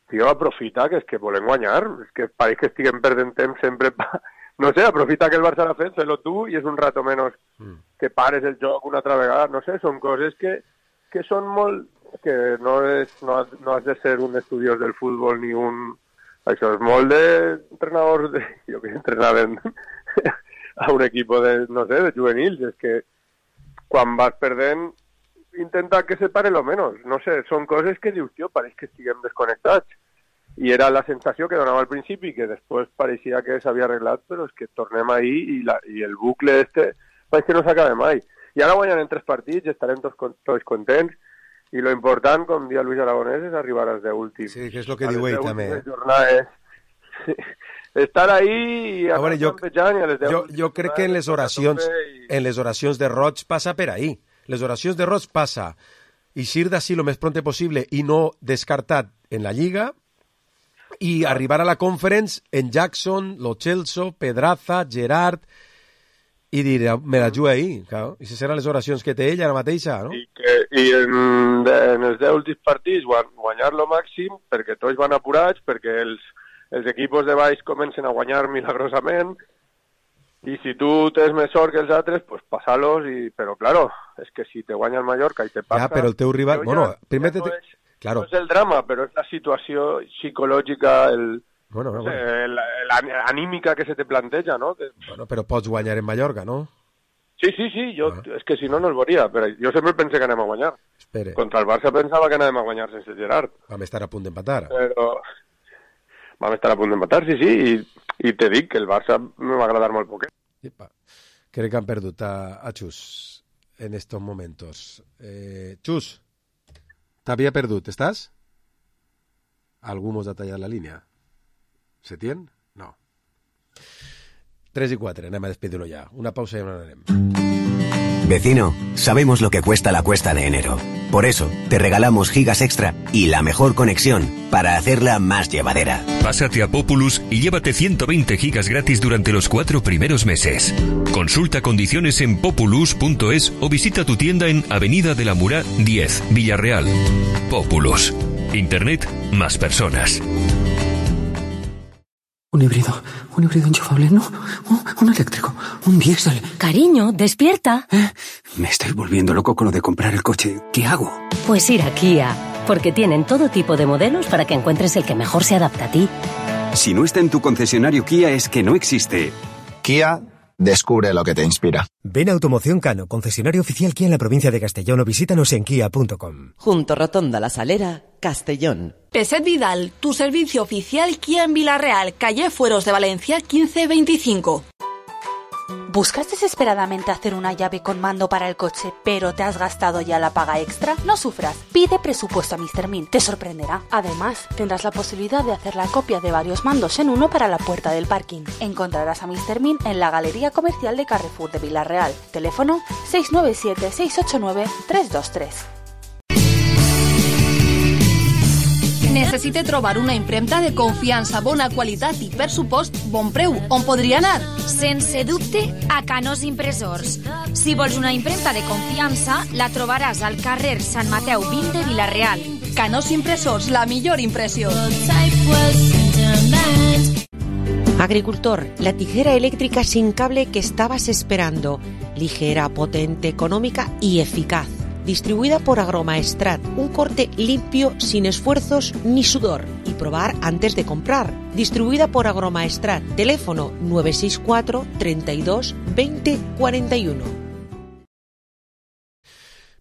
[SPEAKER 21] tio, aprofita, que és que volem guanyar, és que pareix que estiguem perdent temps sempre pa... No sé, aprofita que el Barça l'ha fet, fes-lo tu, i és un rato menys que pares el joc una altra vegada. No sé, són coses que, que són molt... que no, és, no, has, no has de ser un estudiós del futbol ni un... Això és molt d'entrenadors de... Jo que entrenaven a un equip de, no sé, de juvenils. És que quan vas perdent intenta que se pare lo menos. No sé, són coses que dius, tio, pareix que estiguem desconnectats. I era la sensació que donava al principi, que després pareixia que s'havia arreglat, però és que tornem ahí i, la, i el bucle este pareix que no s'acaba mai. I ara guanyen en tres partits, estarem tots, tots contents, i lo important, com dia Luis Aragonès, és arribar als deu últims.
[SPEAKER 3] Sí, que és el que diu ell també. Eh?
[SPEAKER 21] Jornades. Estar ahí i
[SPEAKER 3] a veure, jo,
[SPEAKER 21] campejant i a les deu
[SPEAKER 3] jo, jo crec que en les oracions
[SPEAKER 21] i...
[SPEAKER 3] en les oracions de Roig passa per ahí. Les oracions de Roig passa eixir d'ací lo més pronte possible i no descartat en la Lliga i arribar a la Conference en Jackson, Lo Celso, Pedraza, Gerard i dir, me la jugo ahí, claro. I si seran les oracions que té ell ara mateixa, no?
[SPEAKER 21] I, que, i en, en els deu últims partits guanyar lo màxim perquè tots van apurats, perquè els, els equipos de baix comencen a guanyar milagrosament i si tu tens més sort que els altres, pues passar-los, i... però claro, és que si te guanya el Mallorca i te passa...
[SPEAKER 3] Ja, però el teu rival...
[SPEAKER 21] Ja,
[SPEAKER 3] bueno, primer
[SPEAKER 21] ja
[SPEAKER 3] te...
[SPEAKER 21] no, és,
[SPEAKER 3] claro.
[SPEAKER 21] no és el drama, però és la situació psicològica, el...
[SPEAKER 3] Bueno,
[SPEAKER 21] no
[SPEAKER 3] bueno.
[SPEAKER 21] sé, la, la anímica que se te planteja, no? Que...
[SPEAKER 3] Bueno, però pots guanyar en Mallorca, no?
[SPEAKER 21] Sí, sí, sí, jo, ah. és que si no, no el veuria, però jo sempre pensé que anem a guanyar.
[SPEAKER 3] Espere.
[SPEAKER 21] Contra el Barça pensava que anàvem a guanyar sense Gerard.
[SPEAKER 3] Vam estar a punt d'empatar.
[SPEAKER 21] Però vam estar a punt d'empatar, sí, sí, i, i te dic que el Barça me va agradar molt poquet.
[SPEAKER 3] Epa. Crec que han perdut a, a Chus en estos momentos. Eh, Chus, t'havia perdut, estàs? Algú mos ha tallat la línia. ¿Se tiene? No. tres y cuatro, anem a despedirlo ya. Una pausa y ahora anem.
[SPEAKER 1] Vecino, sabemos lo que cuesta la cuesta de enero. Por eso, te regalamos gigas extra y la mejor conexión para hacerla más llevadera.
[SPEAKER 22] Pásate a Populus y llévate ciento veinte gigas gratis durante los cuatro primeros meses. Consulta condiciones en populus punto es o visita tu tienda en Avenida de la Murá diez, Villarreal. Populus. Internet más personas.
[SPEAKER 23] Un híbrido, un híbrido enchufable, no, un, un eléctrico, un diésel.
[SPEAKER 24] Cariño, despierta.
[SPEAKER 23] ¿Eh? Me estoy volviendo loco con lo de comprar el coche. ¿Qué hago?
[SPEAKER 24] Pues ir a Kia, porque tienen todo tipo de modelos para que encuentres el que mejor se adapta a ti.
[SPEAKER 23] Si no está en tu concesionario Kia es que no existe.
[SPEAKER 25] Kia, descubre lo que te inspira.
[SPEAKER 26] Ven a Automoción Cano, concesionario oficial Kia en la provincia de Castellón, o visítanos en kia punto com.
[SPEAKER 10] Junto Rotonda La Salera, Castellón.
[SPEAKER 11] Peset Vidal, tu servicio oficial Kia en Villarreal, calle Fueros de Valencia quince veinticinco.
[SPEAKER 20] ¿Buscas desesperadamente hacer una llave con mando para el coche, pero te has gastado ya la paga extra? No sufras, pide presupuesto a mister Min, te sorprenderá. Además, tendrás la posibilidad de hacer la copia de varios mandos en uno para la puerta del parking. Encontrarás a mister Min en la Galería Comercial de Carrefour de Villarreal. Teléfono seis nueve siete, seis ocho nueve, tres dos tres.
[SPEAKER 11] Necessite trobar una impremta de confiança, bona qualitat i, per supost, bon preu. On podria anar?
[SPEAKER 6] Sense dubte, a Canós Impressors. Si vols una impremta de confiança, la trobaràs al carrer Sant Mateu vint de Vilareal.
[SPEAKER 2] Canós Impressors, la millor impressió.
[SPEAKER 5] Agricultor, la tijera eléctrica sin cable que estabas esperando. Ligera, potente, económica y eficaz. Distribuida por Agromaestrat, un corte limpio, sin esfuerzos ni sudor. Y probar antes de comprar. Distribuida por Agromaestrat. Teléfono nueve seis cuatro, treinta y dos, veinte, cuarenta y uno.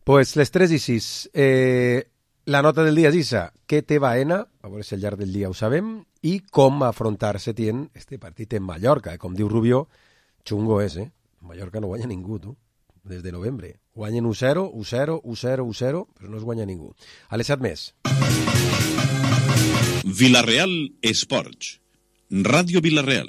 [SPEAKER 3] Pues les tres i sis. Eh, la nota del dia és Isa. Què té Baena? A veure si al llarg del dia ho sabem. I com afrontar-se tient este partit en Mallorca. Eh? Com diu Rubio, xungo és, eh? Mallorca no guanya ningú, tu. Des de novembre. Guanyen u zero, u zero, u zero, u zero, però no es guanya ningú. A les set més.
[SPEAKER 7] Vila-real Esports. Ràdio Vila-real.